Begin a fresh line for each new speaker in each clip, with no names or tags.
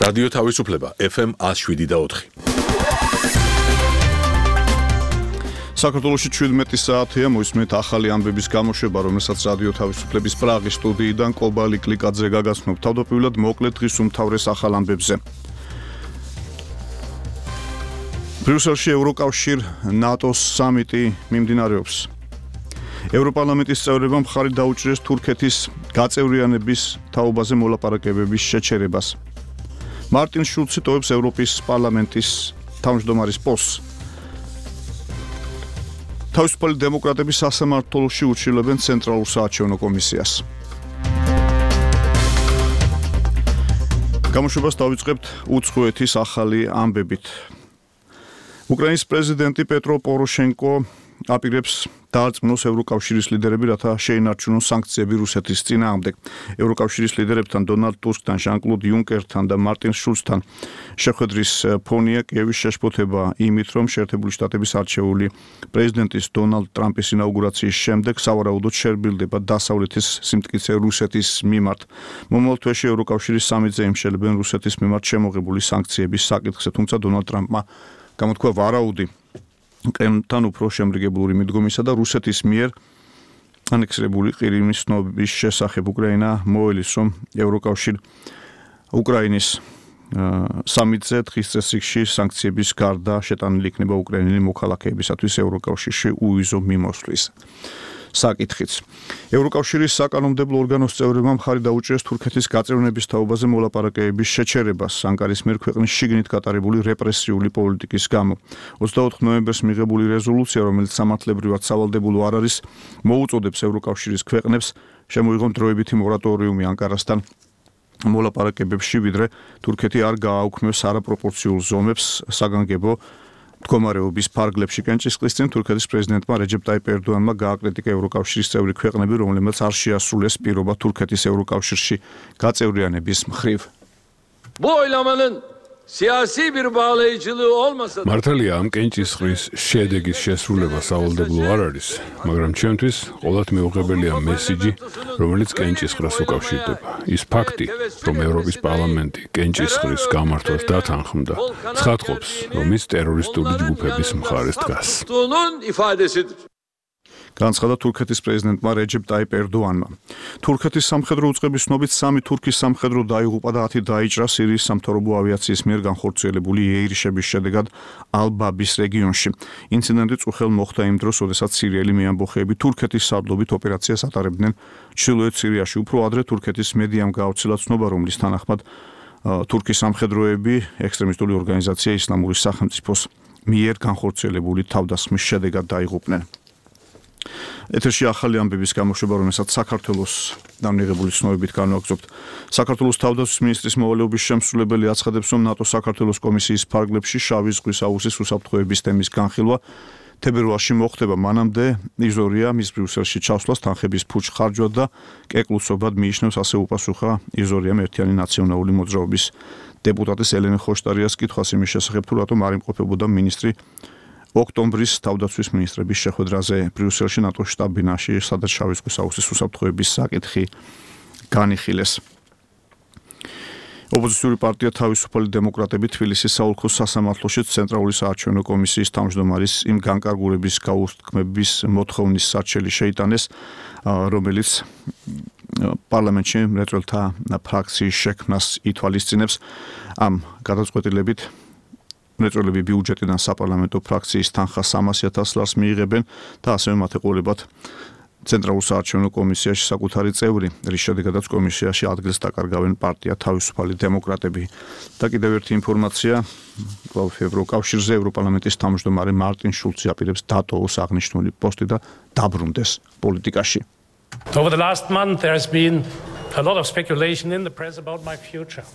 რადიო თავისუფლება FM 107.4. საქართველოში 17 საათია მოისმენთ ახალი ამბების გამოშვება, რომელსაც რადიო თავისუფლების პრაღის სტუდიიდან კობალი კლიკაძე გაგაცნობ. თავდაპირველად მოკლედ დღის უმთავრეს ახალ ამბებზე. ბრიუსელში ევროკავშირ ნატოს სამიტი მიმდინარეობს. ევროპარლამენტის წევრებმა მხარი დაუჭირეს თურქეთის გაწევრიანების თაობაზე მოლაპარაკებების შეჩერებას. მარტინ შულცი ტოვებს ევროპის პარლამენტის თავმჯდომარის პოსტს. თავისუფალი დემოკრატები სასამართლოში ურჩილებენ ცენტრალურ საარჩევნო კომისიას. გამოშვებას დავიწყებთ უცხოეთის ახალი ამბებით. უკრაინის პრეზიდენტი პეტრო პოროშენკო აპირებს დაარწმუნოს ევროკავშირის ლიდერები, რათა შეინარჩუნონ სანქციები რუსეთის წინააღმდეგ. ევროკავშირის ლიდერებთან დონალდ ტუსკთან, ჟან-კლოდ იუნკერთან და მარტინ შულცთან შეხვედრის ფონია კიევის შეშფოთება იმით, რომ შეერთებული შტატების არჩეული პრეზიდენტის დონალდ ტრამპის ინაუგურაციის შემდეგ სავარაუდოდ შერბილდება დასავლეთის სიმტკიცე რუსეთის მიმართ. მომავალ თვეში ევროკავშირის სამიტზე იმშელებენ რუსეთის მიმართ შემოღებული სანქციების საკითხზე, თუმცა დონალდ ტრამპმა გამოთქვა ვარაუდი კრემლთან უფრო შემრიგებლური მიდგომისა და რუსეთის მიერ ანექსირებული ყირიმის ცნობის შესახებ. უკრაინა მოელის, რომ ევროკავშირი უკრაინის სამიტზე დღის წესრიგში სანქციების გარდა შეტანილი იქნება უკრაინელი მოქალაქეებისათვის ევროკავშირში უვიზო მიმოსვლის საკითხიც. ევროკავშირის საკანონმდებლო ორგანოს წევრებმა მხარი დაუჭირეს თურქეთის გაწევრიანების თაობაზე მოლაპარაკებების შეჩერებას ანკარის მიერ ქვეყნის შიგნით გატარებული რეპრესიული პოლიტიკის გამო. 24 ნოემბერს მიღებული რეზოლუცია, რომელიც სამართლებრივად სავალდებულო არ არის, მოუწოდებს ევროკავშირის ქვეყნებს შემოიღონ დროებითი მორატორიუმი ანკარასთან მოლაპარაკებებში, ვიდრე თურქეთი არ გააუქმებს არაპროპორციულ ზომებს საგანგებო მდგომარეობის ფარგლებში. კენჭისყრის წინ თურქეთის პრეზიდენტმა რეჯეპ ტაიპ ერდოანმა გააკრიტიკა ევროკავშირის წევრი ქვეყნები, რომლებმაც არ შეასრულეს პირობა თურქეთის ევროკავშირში გაწევრიანების მხრივ.
მართალია, ამ კენჭისყრის შედეგის შესრულება სავალდებულო არ არის, მაგრამ ჩემთვის ყოველთ მეუღებელია მესიჯი, რომელიც კენჭისყრას უკავშირდება. ის ფაქტი, რომ ევროპის პარლამენტი კენჭისყრის გამართვას დათანხმდა, ცხადყოფს, რომ ის ტერორისტული ჯგუფების მხარეს დგას.
განცხადა თურქეთის პრეზიდენტმა რეჯეპ ტაიპ ერდოანმა. თურქეთის სამხედრო უწყების ცნობით 3 თურქის სამხედრო დაიღუპა და 10 დაიჭრა სირიის სამთავრობო ავიაციის მიერ განხორციელებული ეირიშების შედეგად ალ-ბაბის რეგიონში. ინციდენტი წუხელ მოხდა იმ დროს, როდესაც სირიელი მეამბოხეები თურქეთის სარდლობით ოპერაციას ატარებდნენ ჩრდილოეთ სირიაში. უფრო ადრე თურქეთის მედიამ გაავრცელა ცნობა, რომლის თანახმად თურქის სამხედროები ექსტრემისტული ორგანიზაცია ისლამური სახელმწიფოს მიერ განხორციელებული თავდასხმის შედეგად დაიღუპნენ. ეთერში ახალი ამბების გამოშვება, რომელსაც საქართველოს დამნიღებული ცნობებით განვაგრძობთ. საქართველოს თავდაცვის მინისტრის მოვალეობის შემსრულებელი აცხადებს, რომ ნატოს საქართველოს კომისიის ფარგლებში შავი ზღვის აუზის უსაფრთხოების თემის განხილვა თებერვალში მოხდება. მანამდე იზორია მის ბრიუსელში ჩასვლას თანხების ფუჭ ხარჯვად და კეკლუცობად მიიჩნევს, ასე უპასუხა იზორიამ ერთიანი ნაციონალური მოძრაობის დეპუტატის ელენე ხოშტარიას კითხვას იმის შესახებ, თუ რატომ არ იმყოფებოდა მინისტრი ოქტომბრის თავდაცვის მინისტრების შეხვედრაზე ბრიუსელში ნატოს შტაბ-ბინაში, სადაც შავი ზღვის აუზის უსაფრთხოების საკითხი განიხილეს. ოპოზიციური პარტია თავისუფალი დემოკრატები თბილისის საოლქო სასამართლოში ცენტრალური საარჩევნო კომისიის თავმჯდომარის იმ განკარგულების გაუხმების მოთხოვნის სარჩელი შეიტანეს, რომელიც პარლამენტში მრეწველთა ფრაქციის შექმნას ითვალისწინებს. ამ გადაწყვეტილებით მრეწველები ბიუჯეტიდან საპარლამენტო ფრაქციის თანხას 300,000 ლარს მიიღებენ და ასევე მათ ეყოლებათ ცენტრალურ საარჩევნო კომისიაში საკუთარი წევრი, რის შედეგადაც კომისიაში ადგილს დაკარგავენ პარტია თავისუფალი დემოკრატები. და კიდევ ერთი ინფორმაცია, ევროკავშირზე ევროპარლამენტის თავმჯდომარე მარტინ შულცი აპირებს დატოვოს აღნიშნული პოსტი და დაბრუნდეს პოლიტიკაში.
Over the last month there has been a lot of speculation in the press about my future.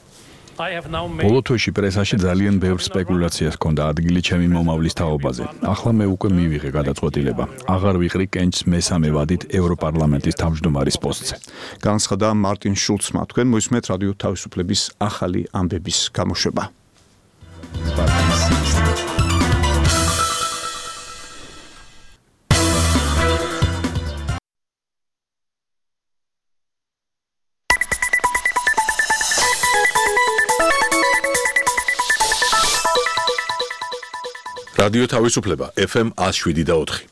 ბოლო თვეში პრესაში ძალიან ბევრ სპეკულაციას ჰქონდა ადგილი ჩემი მომავლის თაობაზე. ახლა მე უკვე მივიღე გადაწყვეტილება. აღარ ვიყრი კენჭს მესამე ვადით ევროპარლამენტის თავმჯდომარის პოსტზე.
განცხადა მარტინ შულცმა. თქვენ მოისმენთ რადიო თავისუფლების ახალი ამბების გამოშვება.
რადიო თავისუფლება FM 107.4.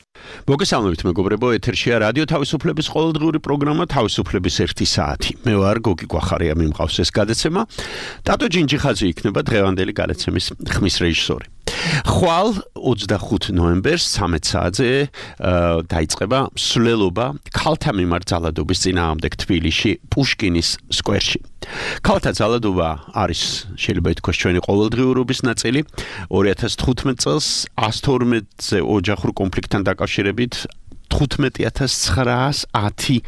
მოგესალმებით მეგობრებო, ეთერშია რადიო თავისუფლების ყოველდღიური პროგრამა თავისუფლების 1 საათი. მე ვარ გოგი კვახარია, მიმყავს ეს გადაცემა. ტატო ჯინჯიხაძე იქნება დღევანდელი გადაცემის ხმის რეჟისორი. ხვალ 25 ნოემბერს 13 საათზე დაიწყება მსვლელობა ქალთა მიმართ ძალადობის წინააღმდეგ თბილისში პუშკინის სკვერში. ქალთა ძალადობა არის შეიძლება ითქვას ჩვენი ყოველდღიურობის ნაწილი. 2015 წელს 112-ზე ოჯახურ კონფლიქტთან დაკავშირებით 15910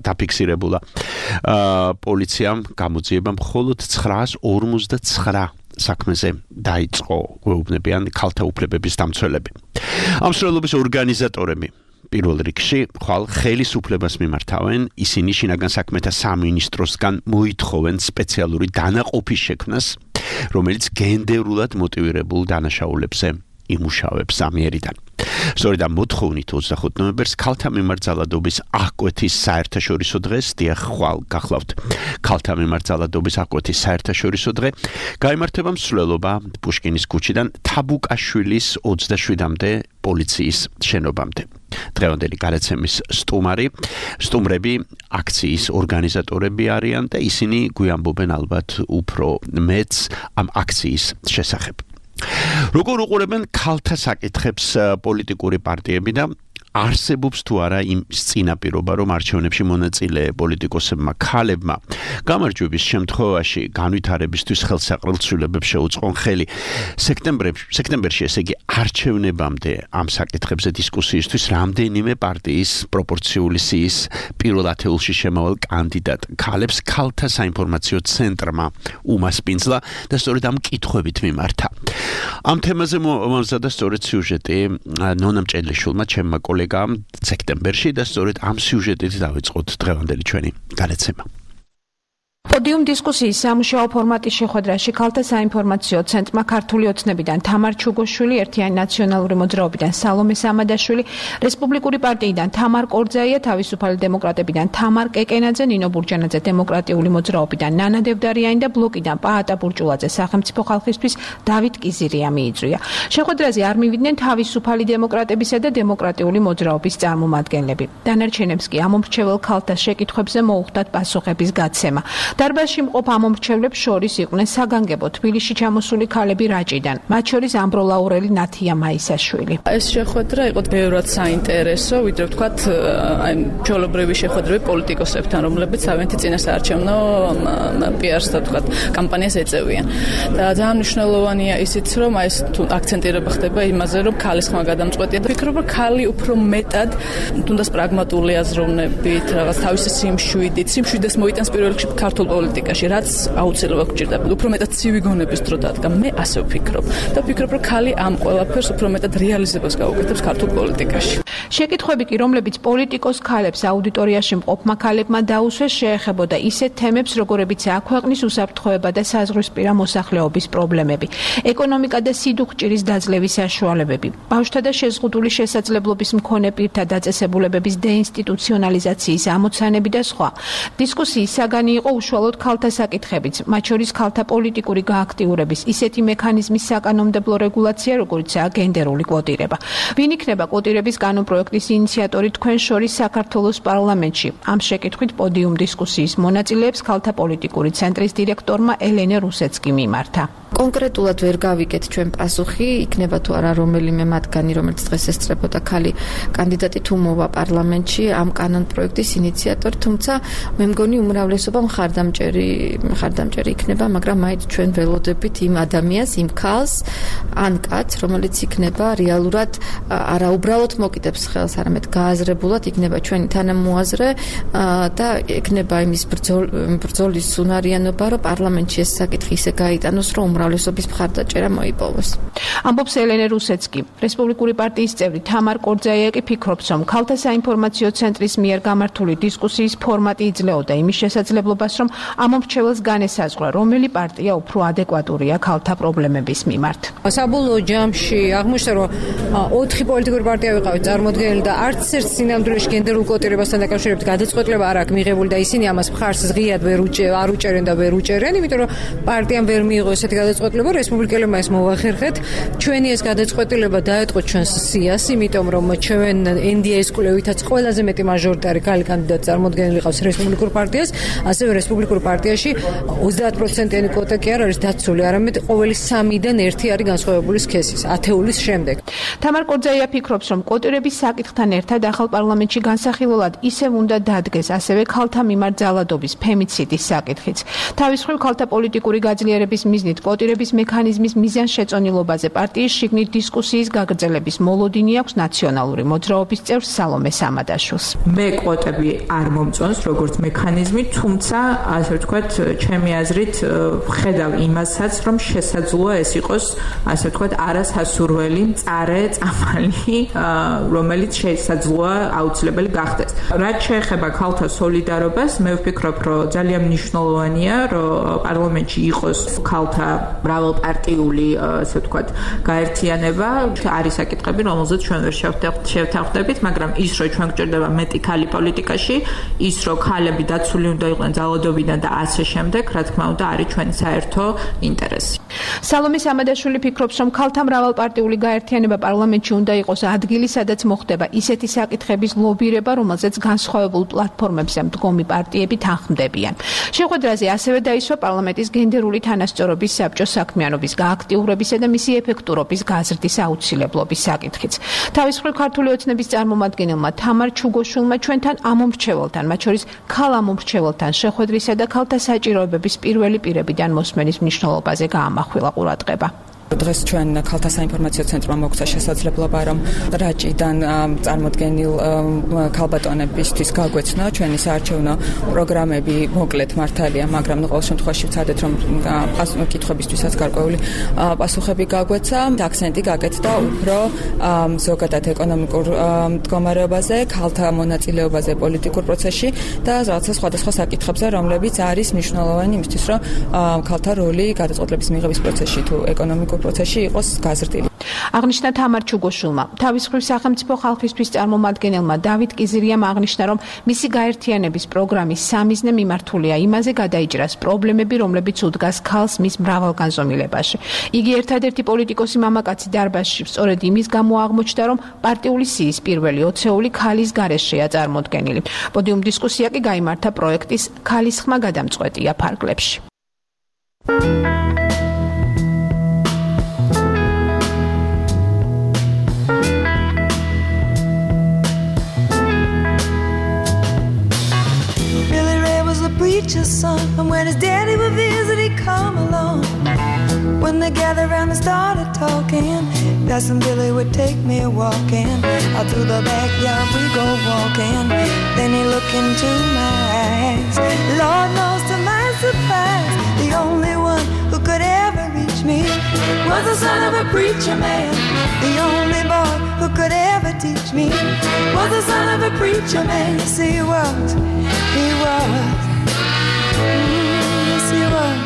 დაფიქსირებულა. პოლიციამ გამოძიება მხოლოდ 959 საქმეზე დაიწყო, გვეუბნებიან ქალთა უფლებების დამცველები. ამ მსვლელობის ორგანიზატორები პირველ რიგში ხვალ ხელისუფლებას მიმართავენ, ისინი შინაგან საქმეთა სამინისტროსგან მოითხოვენ სპეციალური დანაყოფის შექმნას, რომელიც გენდერულად მოტივირებულ დანაშაულებზე იმუშავებს ამიერიდან. სწორედ ამ მოთხოვნით 25 ნოემბერს ქალთა მიმართ ძალადობის აღკვეთის საერთაშორისო დღეს, დიახ, ხვალ გახლავთ ქალთა მიმართ ძალადობის აღკვეთის საერთაშორისო დღე, გაიმართება მსვლელობა პუშკინის ქუჩიდან თაბუკაშვილის 27-მდე პოლიციის შენობამდე. დღევანდელი გადაცემის სტუმრები აქციის ორგანიზატორები არიან და ისინი გვიამბობენ ალბათ უფრო მეც ამ აქციის შესახებ. როგორ უყურებენ ქალთა საკითხებს პოლიტიკური პარტიები და არსებობს თუ არა იმ წინაპირობა, რომ არჩევნებში მონაწილე პოლიტიკოსებმა ქალებმა გამარჯვების შემთხვევაში განვითარებისთვის ხელსაყრელ ცვლილებებს შეუწყონ ხელი. სექტემბერში, ესე იგი არჩევნებამდე ამ საკითხებზე დისკუსიისთვის რამდენიმე პარტიის პროპორციული სიის პირველ ათეულში შემავალ კანდიდატ ქალებს ქალთა საინფორმაციო ცენტრმა უმასპინძლა და სწორედ ამ კითხვებით მიმართა. ამ თემაზე მომზადა სწორედ სიუჟეტი ნონა მჭედლიშვილმა, ჩემმა კოლეგამ სექტემბერში და სწორედ ამ სიუჟეტით დავიწყოთ დღევანდელი ჩვენი გადაცემა.
პოდიუმ დისკუსიის სამუშაო ფორმატის შეხვედრაში ქალთა საინფორმაციო ცენტრმა ქართული ოცნებიდან თამარ ჩუგოშვილი, ერთიანი ნაციონალური მოძრაობიდან სალომე სამადაშვილი, რესპუბლიკური პარტიიდან თამარ კორძაია, თავისუფალი დემოკრატებიდან თამარ კეკენაძე, ნინო ბურჯანაძე დემოკრატიული მოძრაობიდან ნანა დევდარიანი და ბლოკიდან პაატა ბურჭულაძე სახელმწიფო ხალხისთვის დავით კიზირია მიიწვია. შეხვედრაზე არ მივიდნენ თავისუფალი დემოკრატებისა და დემოკრატიული მოძრაობის წარმომადგენლები. დანარჩენებს კი ამომრჩეველ ქალთა შეკითხვებზე მოუხდათ პასუხების გაცემა. დარბაზში მყოფ ამომრჩევლებს შორის იყვნენ საგანგებო თბილისში ჩამოსული ქალები რაჭიდან, მათ შორის ამბროლაურელი ნათია მაისაშვილი.
ეს შეხვედრა იყო ბევრად საინტერესო, ვიდრე ვთქვათ, აი ჩვეულებრივი შეხვედრები პოლიტიკოსებთან, რომლებიც თავიანთი წინასაარჩევნო პიარს და ვთქვათ, კამპანიას ეწევიან. და ძალიან მნიშვნელოვანია ისიც, რომ აი ეს აქცენტირება ხდება იმაზე, რომ ქალის ხმა გადამწყვეტია და ვფიქრობ, რომ ქალი უფრო მეტად თუნდაც პრაგმატული აზროვნებით, რაღაც თავისი სიმშვიდეს მოიტანს პირველ რიგში ქართულ პოლიტიკაში, რაც აუცილებლად გვჭირდება. უფრო მეტად ცივი გონების დრო დადგა. მე ასე ვფიქრობ და ვფიქრობ, რომ ქალი ამ ყველაფერს უფრო მეტად რეალიზებას გაუკეთებს ქართულ პოლიტიკაში.
შეკითხვები კი, რომლებიც პოლიტიკოს ქალებს აუდიტორიაში მყოფმა ქალებმა დაუსვეს, შეეხებოდა ისეთ თემებს, როგორებიცაა ქვეყნის უსაფრთხოება და საზღვრისპირა მოსახლეობის პრობლემები, ეკონომიკა და სიდუხჭირის დაძლევის საშუალებები, ბავშვთა და შეზღუდული შესაძლებლობის მქონე პირთა დაწესებულებების დეინსტიტუციონალიზაციის ამოცანები და სხვა. დისკუსიის საგანი იყო უშუალოდ ქალთა საკითხებიც, მათ შორის ქალთა პოლიტიკური გააქტიურების ისეთი მექანიზმის საკანონმდებლო რეგულაცია, როგორიცაა გენდერული კვოტირება. ვინ იქნება კვოტირების კანონპროექტის ინიციატორი თქვენ შორის საქართველოს პარლამენტში? ამ შეკითხვით პოდიუმ დისკუსიის მონაწილეებს ქალთა პოლიტიკური ცენტრის დირექტორმა ელენე რუსეცკი მიმართა.
კონკრეტულად ვერ გავიგეთ ჩვენ პასუხი, იქნება თუ არა რომელიმე მათგანი, რომელიც დღეს ესწრებოდა ქალი კანდიდატი თუ მოვა პარლამენტში ამ კანონპროექტის ინიციატორი, თუმცა მე მგონი უმრავლესობა მხარდამჭერი იქნება, მაგრამ მაინც ჩვენ ველოდებით იმ ადამიანს, იმ ქალს, ან კაცს, რომელიც იქნება რეალურად არა უბრალოდ მოკიდებს ხელს, არამედ გააზრებულად იქნება ჩვენი თანამოაზრე და იქნება იმის ბრძოლის უნარიანობა, რომ პარლამენტში ეს საკითხი ისე გაიტანოს, რომ უმრავლესობის მხარდაჭერა მოიპოვოს.
ამბობს ელენე რუსეცკი. რესპუბლიკური პარტიის წევრი თამარ კორძაია კი ფიქრობს, რომ ქალთა საინფორმაციო ცენტრის მიერ გამართული დისკუსიის ფორმატი იძლეოდა იმის შესაძლებლობას, რომ რომ ამომრჩეველს განესაზღვრა, რომელი პარტია უფრო ადეკვატურია ქალთა პრობლემების მიმართ.
საბოლოო ჯამში აღმოჩნდა, რომ 4 პოლიტიკური პარტია ვიყავით წარმოდგენილი და არც ერთ სინამდვილეში გენდერულ კოტირებასთან დაკავშირებით გადაწყვეტილება არ აქვს მიღებული და ისინი ამას მხარს ზღიად არ უჭერენ და ვერ უჭერენ, იმიტომ რომ პარტიამ ვერ მიიღო ესეთი გადაწყვეტილება, რესპუბლიკელებმა ეს მოვახერხეთ. ჩვენი ეს გადაწყვეტილება დაეთყო ჩვენს სიას, იმიტომ რომ ჩვენ NDA-ის კვლევითაც ყველაზე მეტი მაჟორიტარი ქალი კანდიდატი წარმოდგენილი ყავს რესპუბლიკურ პარტიას, ასევე რესპუბლიკურ პარტიაში 30%-იანი კვოტა კი არ არის დაცული, არამედ ყოველი 3-დან 1 არის განსხვავებული სქესის, ათეულის შემდეგ.
თამარ კორძაია ფიქრობს, რომ კვოტირების საკითხთან ერთად ახალ პარლამენტში განსახილველად ისევ უნდა დადგეს ასევე ქალთა მიმართ ძალადობის ფემიციდის საკითხიც. თავის მხრივ ქალთა პოლიტიკური გაძლიერების მიზნით კვოტირების მექანიზმის მიზანშეწონილობაზე პარტიის შიგნით დისკუსიის გაგრძელების მოლოდინი აქვს ნაციონალური მოძრაობის წევრ სალომე სამადაშვილს.
მე კვოტები არ მომწონს როგორც მექანიზმი, თუმცა ასე ვთქვათ, ჩემი აზრით ხედავ იმასაც, რომ შესაძლოა ეს იყოს ასე ვთქვათ არასასურველი მწარე წამალი, რომელიც შესაძლოა აუცილებელი გახდეს. რაც შეეხება ქალთა სოლიდარობას, მე ვფიქრობ, რომ ძალიან მნიშვნელოვანია, რომ პარლამენტში იყოს ქალთა მრავალპარტიული ასე ვთქვათ გაერთიანება. არის საკითხები, რომელზეც ჩვენ ვერ შევთანხმდებით, მაგრამ ის რომ ჩვენ გვჭირდება მეტი ქალი პოლიტიკაში, ის რომ ქალები დაცული უნდა იყვნენ ძალადობიდან და ასე შემდეგ, რა თქმა უნდა, არის ჩვენი საერთო ინტერესი.
სალომე სამადაშვილი ფიქრობს, რომ ქალთა მრავალპარტიული გაერთიანება პარლამენტში უნდა იყოს ადგილი, სადაც მოხდება ისეთი საკითხების ლობირება, რომელზეც განსხვავებულ პლატფორმებზე მდგომი პარტიები თანხმდებიან. შეხვედრაზე ასევე დაისვა პარლამენტის გენდერული თანასწორობის საბჭოს საქმიანობის გააქტიურებისა და მისი ეფექტურობის გაზრდის აუცილებლობის საკითხიც. თავის მხრივ ქართული ოცნების წარმომადგენელმა თამარ ჩუგოშვილმა ჩვენთან ამომრჩეველთან, მათ შორის ქალ ამომრჩეველთან შეხვედრისა და ქალთა საჭიროებების პირველი პირებიდან მოსმენის მნიშვნელობაზე გაამახვილა ყურადღება.
დღეს ჩვენ ქალთა საინფორმაციო ცენტრმა მოგცა შესაძლებლობა, რომ რაჭიდან წარმოდგენილ ქალბატონებისთვის გაგვეცნო ჩვენი საარჩევნო პროგრამები, მოკლედ მართალია, მაგრამ ყოველ შემთხვევაში ვცადეთ, რომ კითხვებისთვისაც გარკვეული პასუხები გაგვეცა. აქცენტი გაკეთდა უფრო ზოგადად ეკონომიკურ მდგომარეობაზე, ქალთა მონაწილეობაზე პოლიტიკურ პროცესში და რაღაცა სხვადასხვა საკითხებზე, რომლებიც არის მნიშვნელოვანი იმისთვის, რომ ქალთა როლი გადაწყვეტილების მიღების პროცესში თუ ეკონომიკურ პროცესში იყოს გაზრდილი.
აღნიშნა თამარ ჩუგოშვილმა. თავის მხრივ სახელმწიფო ხალხისთვის წარმომადგენელმა დავით კიზირიამ აღნიშნა, რომ მისი გაერთიანების პროგრამის სამიზნე მიმართულია იმაზე გადაიჭრას პრობლემები, რომლებიც უდგას ქალს მის მრავალგანზომილებაში. იგი ერთადერთი პოლიტიკოსი მამაკაცი დარბაზში სწორედ იმის გამო აღმოჩნდა, რომ პარტიული სიის პირველი 20 ქალის გარეშეა წარმოდგენილი. პოდიუმ დისკუსია კი გაიმართა პროექტის ქალის ხმა გადამწყვეტია ფარგლებში.
Preacher's son, and when his daddy would visit, he'd come along. When they gathered around and started talking, Cousin Billy would take me walking. Out through the backyard we go walking. Then he looked into my eyes. Lord knows to my surprise, the only one who could ever reach me was the son of a preacher man. The only boy who could ever teach me was the son of a preacher man. Yes, he was. He was. Yes, he was.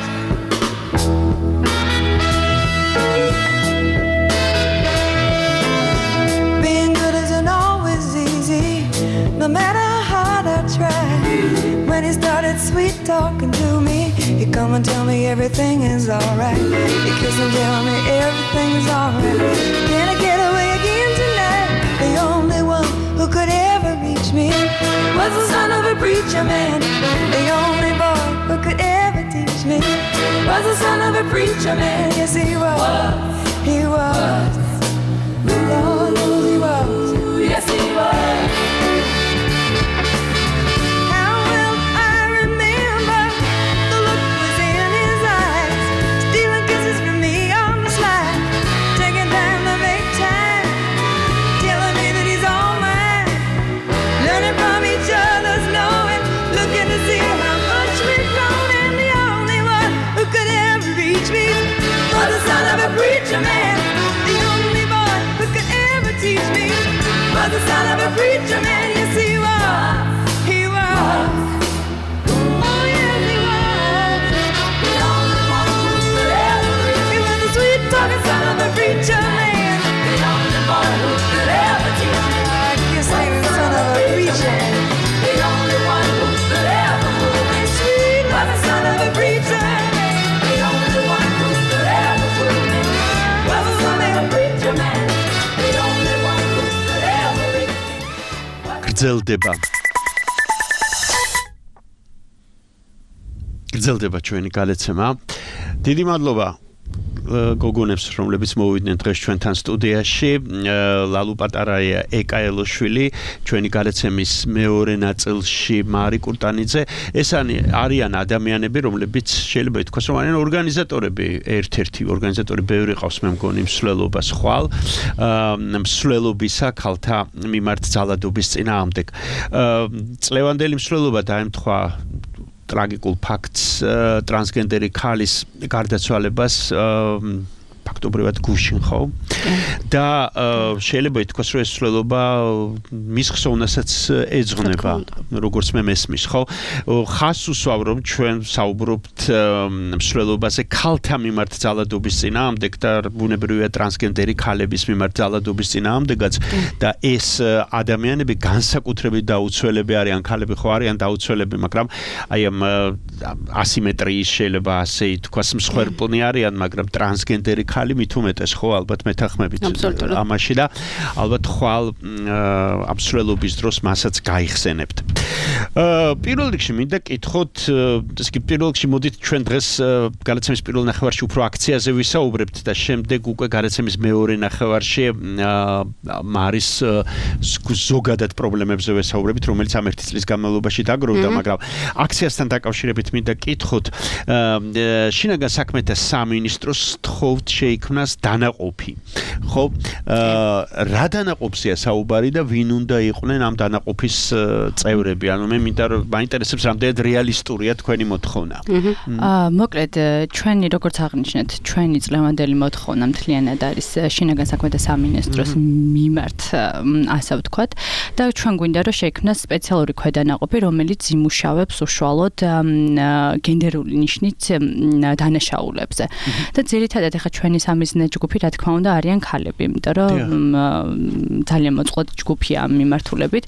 Being good isn't always easy, no matter how hard I try. When he started sweet talking to me, he'd come and tell me everything is alright. He'd kiss and tell me everything is alright. Can I get away again tonight? The only one who could ever reach me was the son of a preacher man. The only boy who could ever teach me was the son of a preacher man. Yes, he was. He was. Lord knows he was. Yes, he was. How well I remember the look was in his eyes, stealing kisses from me on the slide, taking time to make time, telling me that he's all mine, learning from each other's knowing, looking to see how much we've grown, and the only one who could ever reach me was the son of a preacher man. The only boy who could ever teach me was the son of a preacher
გრძელდება ჩვენი გადაცემა. დიდი მადლობა გოგონებს, რომლებიც მოვიდნენ დღეს ჩვენთან სტუდიაში. ლალუ პატარაია, ეკა ელოშვილი, ჩვენი გადაცემის მეორე ნაწილში მარი კურტანიძე. ეს არიან ადამიანები, რომლებიც შეიძლება ითქვას, რომ არიან ორგანიზატორები, ერთ-ერთი ორგანიზატორი ბევრი ყავს, მე მგონი მსვლელობას ხვალ, მსვლელობისა ქალთა მიმართ ძალადობის წინააღმდეგ. წლევანდელი მსვლელობა დაემთხვა ტრაგიკულ ფაქტს ტრანსგენდერი ქალის გარდაცვალებას ფაქტობრივად გუშინ ხო და შეიძლება ითქვას რომ ეს მსვლელობა მის ხსოვნასაც ეძღვნება როგორც მე მესმის ხო ხას უსვავ რომ ჩვენ საუბრობთ მსვლელობაზე ქალთა მიმართ ძალადობის წინააღმდეგ და ბუნებრივია ტრანსგენდერი ქალების მიმართ ძალადობის წინააღმდეგაც და ეს ადამიანები განსაკუთრებით დაუცველები არიან ქალები ხო არიან დაუცველები მაგრამ აი ამ ასიმეტრიის შეიძლება ასე ითქვას მსხვერპლნი არიან მაგრამ ტრანსგენდერი ქალი მით უმეტეს ხო ალბათ მეთანხმებით ამაში და ალბათ ხვალ აბსოლუტობის დროს მასაც გაიხსენებთ. პირველ რიგში მინდა კითხოთ, ეს კი პირველ რიგში მოდით ჩვენ დღეს გადაცემის პირველ ნახევარში უფრო აქციაზე ვისაუბრებთ და შემდეგ უკვე გადაცემის მეორე ნახევარში მარის ზოგადად პრობლემებზე ვისაუბრებით, რომელიც ამ ერთი წლის განმავლობაში დაგროვდა, მაგრამ აქციასთან დაკავშირებით მინდა კითხოთ, შინაგან საქმეთა სამინისტროს თხოვთ შეიქმნას დანაყოფი. ხო? რა დანაყოფზეა საუბარი და ვინ უნდა იყვნენ ამ დანაყოფის წევრები? ანუ მე მინდა რომ მაინტერესებს რამდენად რეალისტურია თქვენი მოთხოვნა.
მოკლედ ჩვენი როგორც აღნიშნეთ, ჩვენი წლევანდელი მოთხოვნა მთლიანად არის შინაგან საქმეთა სამინისტროს მიმართ, ასე ვთქვათ, და ჩვენ გვინდა რომ შეიქმნას სპეციალური ქვედანაყოფი, რომელიც იმუშავებს უშუალოდ გენდერული ნიშნით დანაშაულებზე. და ძირითადად ახლა ჩვენი სამიზნე ჯგუფი რა თქმა უნდა არიან ქალები, იმიტომ რომ ძალიან მოწყვლადი ჯგუფია ამ მიმართულებით.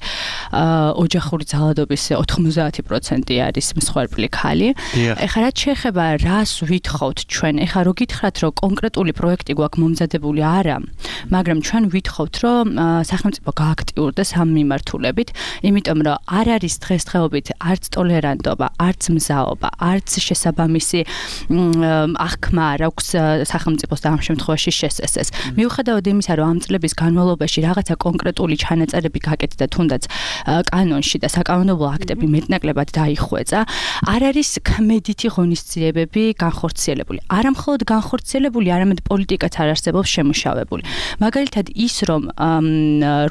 ოჯახური ძალადობის 90% არის მსხვერპლი ქალი. ეხლა რაც შეეხება რას ვითხოვთ ჩვენ? ეხლა რო გითხრათ რომ კონკრეტული პროექტი გვაქვს მომზადებული არა, მაგრამ ჩვენ ვითხოვთ რომ სახელმწიფო გააქტიურდეს ამ მიმართულებით, იმიტომ რომ არ არის დღესდღეობით არც ტოლერანტობა, არც მზაობა, არც შესაბამისი აღქმა არ აქვს სახელმწიფოს და ამ შემთხვევაში შესესეს. მიუხედავად იმისა, რომ ამ წლების განმავლობაში რაღაცა კონკრეტული ჩანაწერები გაკეთდა თუნდაც კანონში და საკანონმდებლო აქტები მეტნაკლებად დაიხვეწა, არ არის ქმედითი ღონისძიებები განხორციელებული. არა მხოლოდ განხორციელებული, არამედ პოლიტიკაც არ არსებობს შემუშავებული. მაგალითად ის, რომ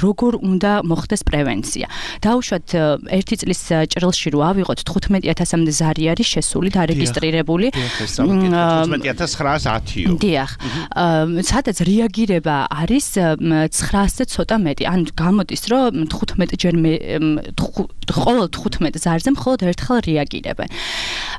როგორ უნდა მოხდეს პრევენცია. დაუშვათ ერთი წლის ჭრილში რო ავიღოთ 15000-მდე ზარი არის შესული და რეგისტრირებული.
15910-ო.
დიახ. სადაც რეაგირება არის 900-ზე ცოტა მეტი. ან გამოდის, რომ 15 ჯერ ყოველ 15 ზარზე მხოლოდ ერთხელ რეაგირებენ.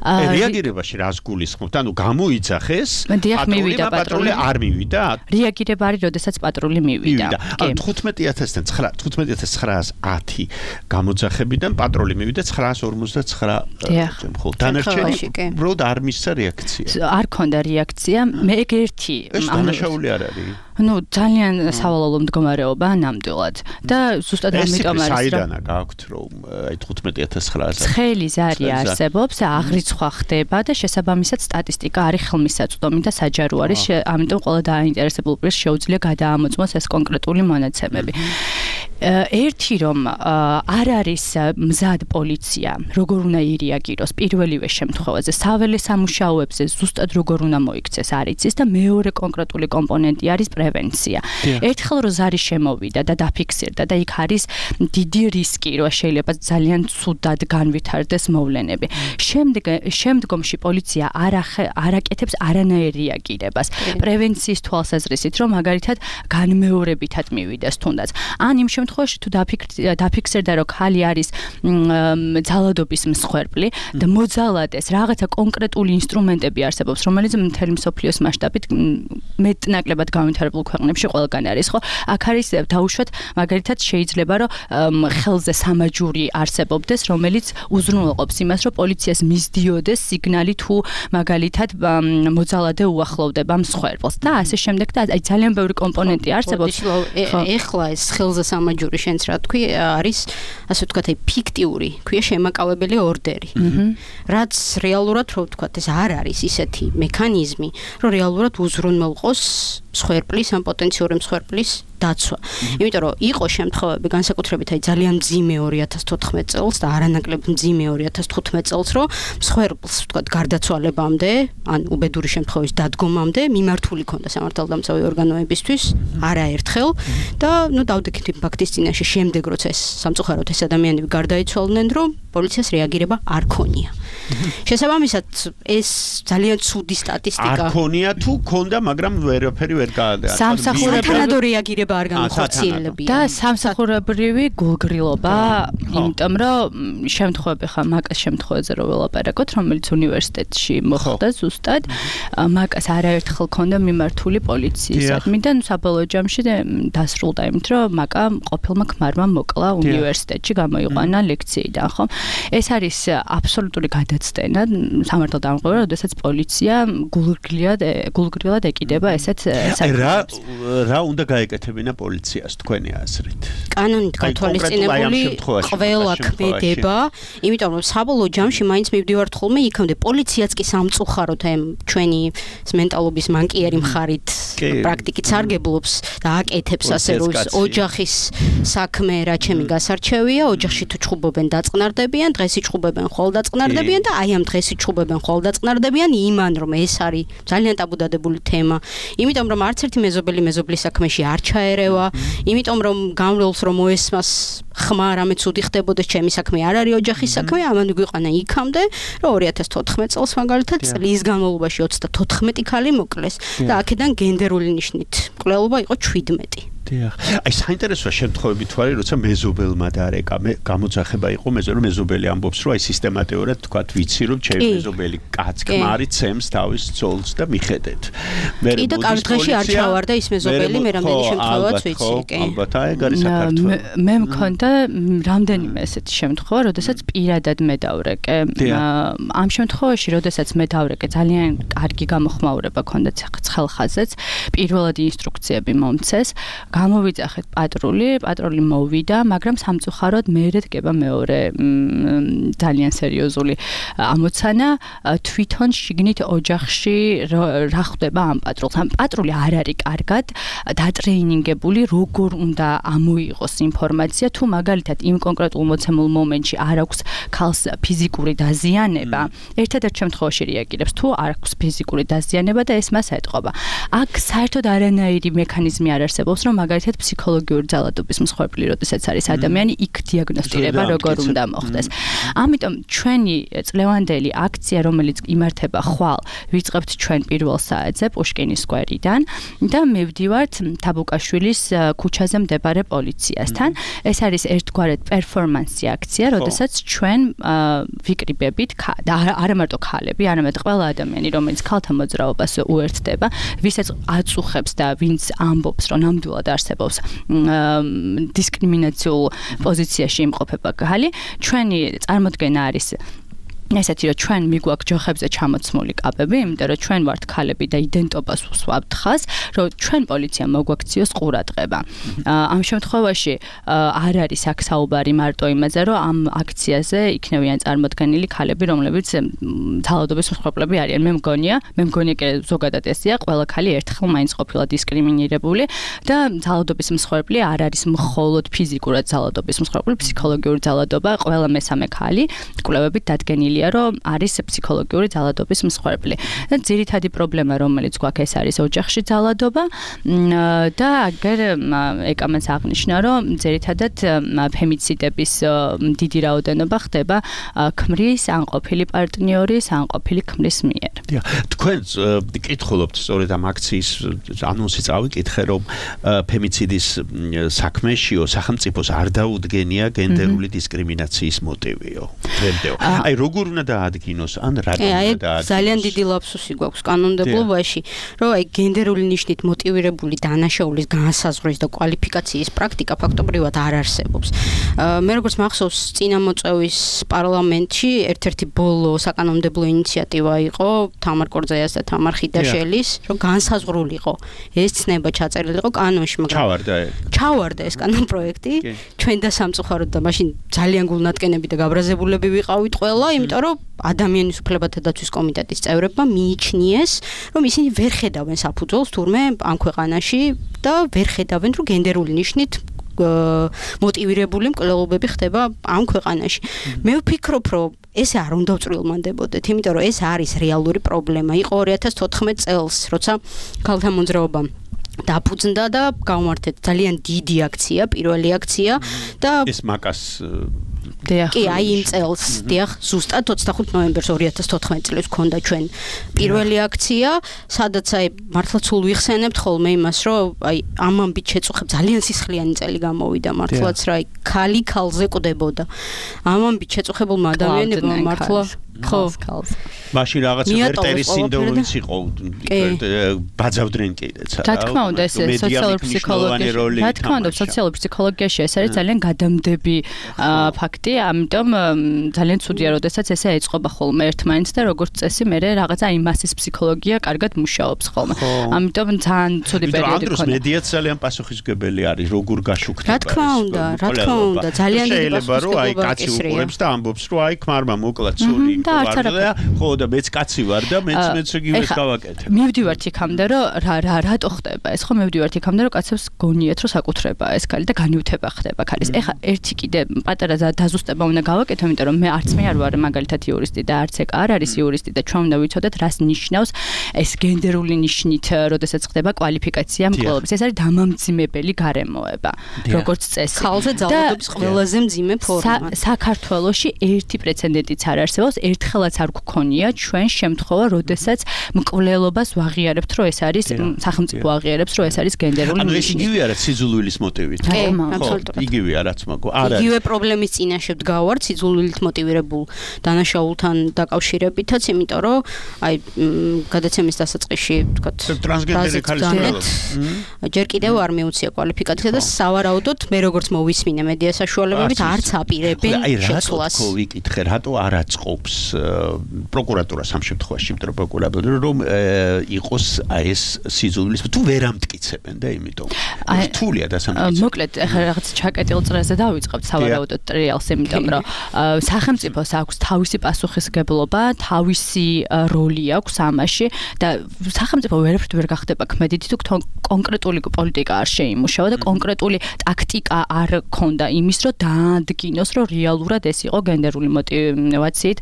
რეაგირებაში რას გულისხმობთ? ანუ გამოიძახეს,
პატრული
არ მივიდა?
რეაგირება არის, როდესაც პატრული მივიდა.
ან 15910 გამოძახებიდან პატრული მივიდა 959 მხოლოდ. დანარჩენი უბრალოდ არ მისცა რეაქცია.
არ ქონდა რეაქცია. მე ერთი
ეს დანაშაული არ არის.
ну ძალიან სავალალო მდგომარეობა ნამდვილად და ზუსტად ამიტომ არის
საიდანა გაქვთ რომ აი 15900
ცხელი ზარი არსებობს აღრიცხვა ხდება და შესაბამისად სტატისტიკა არის ხელმისაწვდომი და საჯარო არის ამიტომ ყველა დაინტერესებულ პირს შეუძლია გადაამოწმოს ეს კონკრეტული მონაცემები ერთი რომ არ არის მზად პოლიცია როგორ უნდა ირეაგიროს პირველივე შემთხვევაზე საველე სამუშაოებზე ზუსტად როგორ უნდა მოიქცეს არ იცის და მეორე კონკრეტული კომპონენტი არის პრევენცია. ერთხელ რო ზარი შემოვიდა და დაფიქსირდა და იქ არის დიდი რისკი, რომ შეიძლება ძალიან ცუდად განვითარდეს მოვლენები. შემდგომში პოლიცია არ აკეთებს არანაირ რეაგირებას. პრევენციის თვალსაზრისით, რომ მაგალითად განმეორებითად მივიდეს თუნდაც. ან იმ შემთხვევაში თუ დაფიქსირდა, რომ ხალი არის ძალადობის მსხვერპლი და მოძალადეს რაღაცა კონკრეტული ინსტრუმენტები არსებობს, რომელიც მთელი მსოფლიოს მასშტაბით მეტნაკლებად განვითარებული განვითარებულ ქვეყნებში ყველგან არის, ხო? აქ არის დაუშვათ მაგალითად შეიძლება რომ ხელზე სამაჯური არსებობდეს, რომელიც უზრუნველყოფს იმას, რომ პოლიციას მისდიოდეს სიგნალი თუ მაგალითად მოძალადე უახლოვდება მსხვერპლს და ასე შემდეგ და აი ძალიან ბევრი კომპონენტი არსებობს.
ეხლა ეს ხელზე სამაჯური შენც რა თქვი არის ასე ვთქვათ აი ფიქტიური, ქვია შემაკავებელი ორდერი. რაც რეალურად რო ვთქვათ ეს არ არის ისეთი მექანიზმი, რომ რეალურად უზრუნველყოს მსხვერპლის ან პოტენციური მსხვერპლის დაცვა. იმიტომ რომ იყო შემთხვევები განსაკუთრებით აი ძალიან მძიმე 2014 წელს და არანაკლებ მძიმე 2015 წელს, რომ მსხვერპლს ვთქვათ გარდაცვალებამდე, ან უბედური შემთხვევის დადგომამდე მიმართული ქონდა სამართალდამცავი ორგანოებისთვის არაერთხელ და დავდექით იმ ფაქტის წინაშე შემდეგ როცა ეს სამწუხაროდ ეს ადამიანები გარდაიცვალნენ, რომ პოლიციას რეაგირება არ ქონია. შესაბამისად ეს ძალიან ცუდი სტატისტიკა.
არ ქონია თუ ქონდა, მაგრამ ვერაფერი ვერ გაადაა.
სამსახურებრივი რეაგირება არ განხორციელებია.
და სამსახურებრივი გულგრილობა, იმიტომ რომ შემთხვევები ხა მაკას შემთხვევაზე რო ველაპარაკოთ, რომელიც უნივერსიტეტში მოხდა ზუსტად, მაკას არაერთხელ ქონდა მიმართული პოლიციისადმი და საბოლოო ჯამში დასრულდა იმით, რომ მაკა ყოფილმა ქმარმა მოკლა უნივერსიტეტში, გამოიყვანა ლექციიდან, ხო? ეს არის აბსოლუტური გადაცდენა სამართალდამღვრელად, როდესაც პოლიცია გულგრილად ეკიდება ესეთ
საკითხებს. რა უნდა გაეკეთებინა პოლიციას თქვენი აზრით?
კანონით გათვალისწინებული ყველა ქმედება, იმიტომ რომ საბოლოო ჯამში მაინც მივდივართ ხოლმე იქამდე პოლიციაც კი სამწუხაროდ ჩვენი მენტალობის მანკიერი მხარით პრაქტიკით სარგებლობს და აკეთებს ასე რომ ოჯახის საქმე რა ჩემი გასარჩევია, ოჯახში თუ ჩხუბობენ დაწყნარდებიან, დღეს იჩხუბებენ ხოლ დაწყნარდებიან და აი ამ დღეს იჩხუბებენ ხოლ დაწყნარდებიან იმან რომ ეს არის ძალიან ტაბუდადებული თემა, იმიტომ რომ არც ერთი მეზობელი მეზობლის საქმეში არ ჩაერევა, იმიტომ რომ გამრავლს რომ მოესმას ხმა რამე ცუდი ხდებოდეს, ჩემი საქმე არ არის ოჯახის საქმე, ამან გვიყანა იქამდე, რომ 2014 წელს მაგალითად წლის განმავლობაში 34 ქალი მოკლეს და აქედან გენდერული ნიშნით მკვლელობა იყო 17.
აი საინტერესოა შემთხვევები თუ არის, როცა მეზობელმა დარეკა, გამოძახება იყო მეზობელი ამბობს, რომ აი სისტემატიურად თქვათ ვიცი, რომ ჩემი მეზობელი კაც ქმარი ცემს თავის ძოლს და მიხედეთ.
კი და კარგ დღეში არ ჩავარდა ის მეზობელი, მე რამდენი შემთხვევაც ვიცი, კი.
ალბათ აი ეგ არის საქართველო.
მე მქონდა რამდენიმე ესეთი შემთხვევა, როდესაც პირადად მე დავრეკე. ამ შემთხვევაში, როდესაც მე დავრეკე, ძალიან კარგი გამოხმაურება ქონდა ცხელხაზეც, პირველად ინსტრუქციები მომცეს. გამოვიძახეთ პატრული მოვიდა, მაგრამ სამწუხაროდ მერე დგება მეორე ძალიან სერიოზული ამოცანა, თვითონ შიგნით ოჯახში რა ხდება ამ პატრულს. ამ პატრული არ არის კარგად დატრეინინგებული, როგორ უნდა ამოიღოს ინფორმაცია, თუ მაგალითად იმ კონკრეტულ მოცემულ მომენტში არ აქვს ქალს ფიზიკური დაზიანება, ერთადერთ შემთხვევაში რეაგირებს, თუ არ აქვს ფიზიკური დაზიანება და ეს მას ეტყობა. აქ საერთოდ არანაირი მექანიზმი არ არსებობს, რომ მაგალითად ფსიქოლოგიური ძალადობის მსხვერპლი, როდესაც არის ადამიანი, იქ დიაგნოსტირება როგორ უნდა მოხდეს. ამიტომ ჩვენი წლევანდელი აქცია, რომელიც იმართება ხვალ, ვიწყებთ ჩვენ პირველ საათზე პუშკინის სკვერიდან და მივდივართ თაბუკაშვილის ქუჩაზე მდებარე პოლიციასთან. ეს არის ერთგვარად პერფორმანსი აქცია, როდესაც ჩვენ ვიკრიბებით და არა მარტო ქალები, არამედ ყველა ადამიანი, რომელიც ქალთა მოძრაობას უერთდება, ვისაც აწუხებს და ვინც ამბობს, რომ ნამდვილად არსებობს დისკრიმინაციულ პოზიციაში იმყოფება ქალი, ჩვენი წარმოდგენა არის ესეთი რომ ჩვენ მიგვაქვს ჯოხებზე ჩამოცმული კაბები, იმიტომ რომ ჩვენ ვართ ქალები და იდენტობას ვსვამთ ხას, რომ ჩვენ პოლიცია მოგვაქციოს ყურადღება. ამ შემთხვევაში არ არის აქ საუბარი მარტო იმაზე, რომ ამ აქციაზე იქნებიან წარმოდგენილი ქალები, რომლებიც ძალადობის მსხვერპლები არიან. მე მგონია ზოგადად ესეა, ყველა ქალი ერთხელ მაინც ყოფილა დისკრიმინირებული და ძალადობის მსხვერპლი არ არის მხოლოდ ფიზიკურად ძალადობის მსხვერპლი, ფსიქოლოგიური ძალადობა, ყველა მესამე ქალი კვლევებით დადგენილია რომ არის ფსიქოლოგიური ძალადობის მსხვერპლი. და ძირითადი პრობლემა, რომელიც გვაქვს, ეს არის ოჯახში ძალადობა და აგერ ეკამაც აღნიშნა, რომ ძირითადად ფემიციდების დიდი რაოდენობა ხდება ქმრის ან ყოფილი პარტნიორის ან ყოფილი ქმრის მიერ.
თქვენ კითხულობთ სწორედ ამ აქციის ანონსი წავიკითხე, რომ ფემიციდის საქმეშიო სახელმწიფოს არ დაუდგენია გენდერული დისკრიმინაციის მოტივიო. აი როგორ როგორ უნდა დაადგინოს ან რატომ უნდა დაადგინოს?
ძალიან დიდი ლაფსუსი გვაქვს კანონმდებლობაში, რომ აი გენდერული ნიშნით მოტივირებული დანაშაულის განსაზღვრის და კვალიფიკაციის პრაქტიკა ფაქტობრივად არ არსებობს. მე როგორც მახსოვს, წინამოწევის პარლამენტში ერთ-ერთი ბოლო საკანონმდებლო ინიციატივა იყო თამარ კორძაიას და თამარ ხიდაშელის, რომ განსაზღვრულიყო ეს ცნება ჩაწერილიყო კანონში, მაგრამ ჩავარდა ეს კანონპროექტი. ჩვენ და სამწუხაროდ და მაშინ ძალიან გულნატკენები და გაბრაზებულები ვიყავით ყველა, იმიტომ რომ ადამიანის უფლებათა დაცვის კომიტეტის წევრებმა მიიჩნიეს, რომ ისინი ვერ ხედავენ საფუძველს თურმე ამ ქვეყანაში და ვერ ხედავენ, რომ გენდერული ნიშნით მოტივირებული მკვლელობები ხდება ამ ქვეყანაში. მე ვფიქრობ, რომ ესე არ უნდა ვწვრილმანდებოდეთ, იმიტომ რომ ეს არის რეალური პრობლემა. იყო 2014 წელს, როცა ქალთა მოძრაობამ დაფუძნდა და გამართეთ ძალიან დიდი აქცია, პირველი აქცია და
ეს მაკას
კი, აი იმ წელს, დიახ, ზუსტად 25 ნოემბერს 2014 წელს ქონდა ჩვენ პირველი აქცია, სადაც აი მართლა სულ ვიხსენებთ ხოლმე იმას, რომ აი ამ ამბით შეწუხებ ძალიან სისხლიანი წელი გამოვიდა მართლაც რა, აი ქალი ქალზე კვდებოდა. ამ ამბით შეწუხებულმა ადამიანებმა მართლა ხო,
მაშინ რაღაც ვერტერის სინდრომიც იყო, ბაძავდნენ კიდეც.
რა თქმა უნდა, ეს სოციალური ფსიქოლოგია, რა თქმა უნდა, სოციალური ფსიქოლოგიაში ეს არის ძალიან გადამდები ფაქტი, ამიტომ ძალიან ცუდია, როდესაც ესე ეწყობა ხოლმე ერთმანეთს და როგორც წესი მე რაღაცა იმ მასის ფსიქოლოგია კარგად მუშაობს ხოლმე. ამიტომ ძალიან ცუდი პერიოდი
ქონდა. მედიაც ძალიან პასუხისმგებელი არის, როგორ გაშუქდება.
რა თქმა უნდა, ძალიან დიდი
პასუხისმგებელია, რომ აი კაცი უყურებს და ამბობს, რომ აი ქმარმა მოკლა ცული ხო და მეც კაცი ვარ და მეც იგივეს გავაკეთებ.
მივდივართ იქამდე, რომ რატო ხდება ეს? ხო მივდივართ იქამდე, რომ კაცებს გონიათ, რომ საკუთრება ეს ქალი და განიუთება ხდება ქალის. ეხა ერთი კიდე პატარა დაზუსტება უნდა გავაკეთო, იმიტომ რომ მე არც მე არ ვარ მაგალითად იურისტი და არც ეგ არ არის იურისტი და ჩვენ უნდა ვიცოდეთ, რას ნიშნავს ეს გენდერული ნიშნით, როდესაც ხდება კვალიფიკაცია მკვლელობის. ეს არის დამამძიმებელი გარემოება, როგორც წესი.
ხალხზე ძალადობის ყველაზე მძიმე ფორმა.
საქართველოში ერთი პრეცედენტიც არ არსებობს. ერთხელაც არ გქონია ჩვენ შემთხვევა, როდესაც მკვლელობას ვაღიარებთ, რომ ეს არის სახელმწიფო აღიარებს, რომ ეს არის გენდერული ნიშნით.
ანუ ეს იგივე არა სიძულვილის მოტივით.
კი, აბსოლუტურად.
იგივე არაც მაგო. არა.
იგივე პრობლემის წინაშე ვდგავართ სიძულვილით მოტივირებულ დანაშაულთან დაკავშირებითაც, იმიტომ რომ აი გადაცემის დასაწყისში ვთქვათ,
ტრანსგენდერი ხალის
ჯერ კიდევ არ მიუცია კვალიფიკაცია და სავარაუდოდ მე როგორც მოვისმინე მედია საშუალებებით არც აპირებენ შეცვლას.
აი რატო ვიკითხე, რატო არ აწყობს პროკურატურას ამ შემთხვევაში, იმიტომ რომ პროკურატურა რომ იყოს აი ეს სიძულვილის თუ ვერ ამტკიცებენ და იმიტომ რთულია დასამტკიცება.
მოკლედ ახლა რაღაც ჩაკეტილ წრეზე დავიწყებთ სავარაუდოდ ტრიალს, იმიტომ რომ სახელმწიფოს აქვს თავისი პასუხისმგებლობა, თავისი როლი აქვს ამაში და სახელმწიფო ვერაფრით ვერ გახდება ქმედითი თუ კონკრეტული პოლიტიკა არ შეიმუშავა და კონკრეტული ტაქტიკა არ ქონდა იმის, რომ დაადგინოს, რომ რეალურად ეს იყო გენდერული მოტივაციით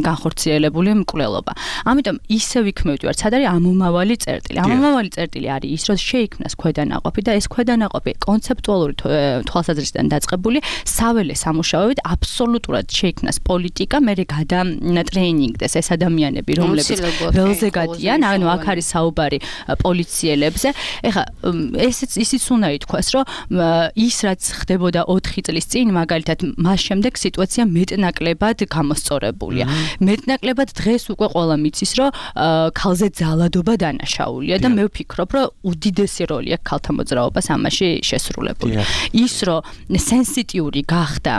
განხორციელებული მკვლელობა. ამიტომ ისევ იქ მივდივართ, სად არის ამომავალი წერტილი. ამომავალი წერტილი არის ის, რომ შეიქმნას ქვედანაყოფი და ეს ქვედანაყოფი კონცეპტუალური თვალსაზრისიდან დაწყებული საველე სამუშაოებით აბსოლუტურად შეიქმნას პოლიტიკა, მე გადატრეინინგდეს ეს ადამიანები, რომლებიც ველზე გადიან, ანუ აქ არის საუბარი პოლიციელებზე. ეხლა ისიც უნდა ითქვას, რომ ის რაც ხდებოდა 4 წლის წინ, მაგალითად, მას შემდეგ სიტუაცია მეტნაკლებად გამოსწორებულია. მეტნაკლებად დღეს უკვე ყველა მიცის, რომ ქალზე ძალადობა დანაშაულია და მე ვფიქრობ, რომ უდიდესი როლი აქვს ქალთა მოძრაობას ამაში შესრულებული. ის რომ სენსიტიური გახდა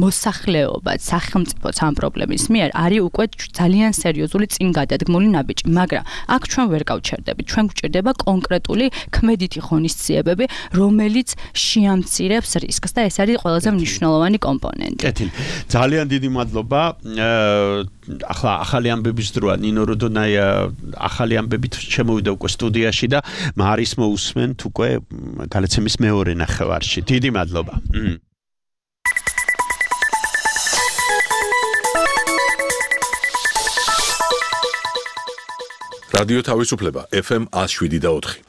მოსახლეობა სახელმწიფოც ამ პრობლემის მიერ არის უკვე ძალიან სერიოზული წინგადადგმული ნაბიჯი, მაგრამ აქ ჩვენ ვერ გავჩერდებით. ჩვენ გვჭირდება კონკრეტული ქმედითი ღონისძიებები, რომელიც შეამცირებს რისკს და ეს არის ყველაზე მნიშვნელოვანი კომპონენტი.
კეთილი. ძალიან დიდი მადლობა. ახლა ახალი ამბების დროა ნინო როდონაია ახალი ამბებით შემოვიდა უკვე სტუდიაში და მარის მოусმენთ უკვე გადაცემის მეორე ნახევარში. დიდი მადლობა.
რადიო თავისუფლება FM 107.4.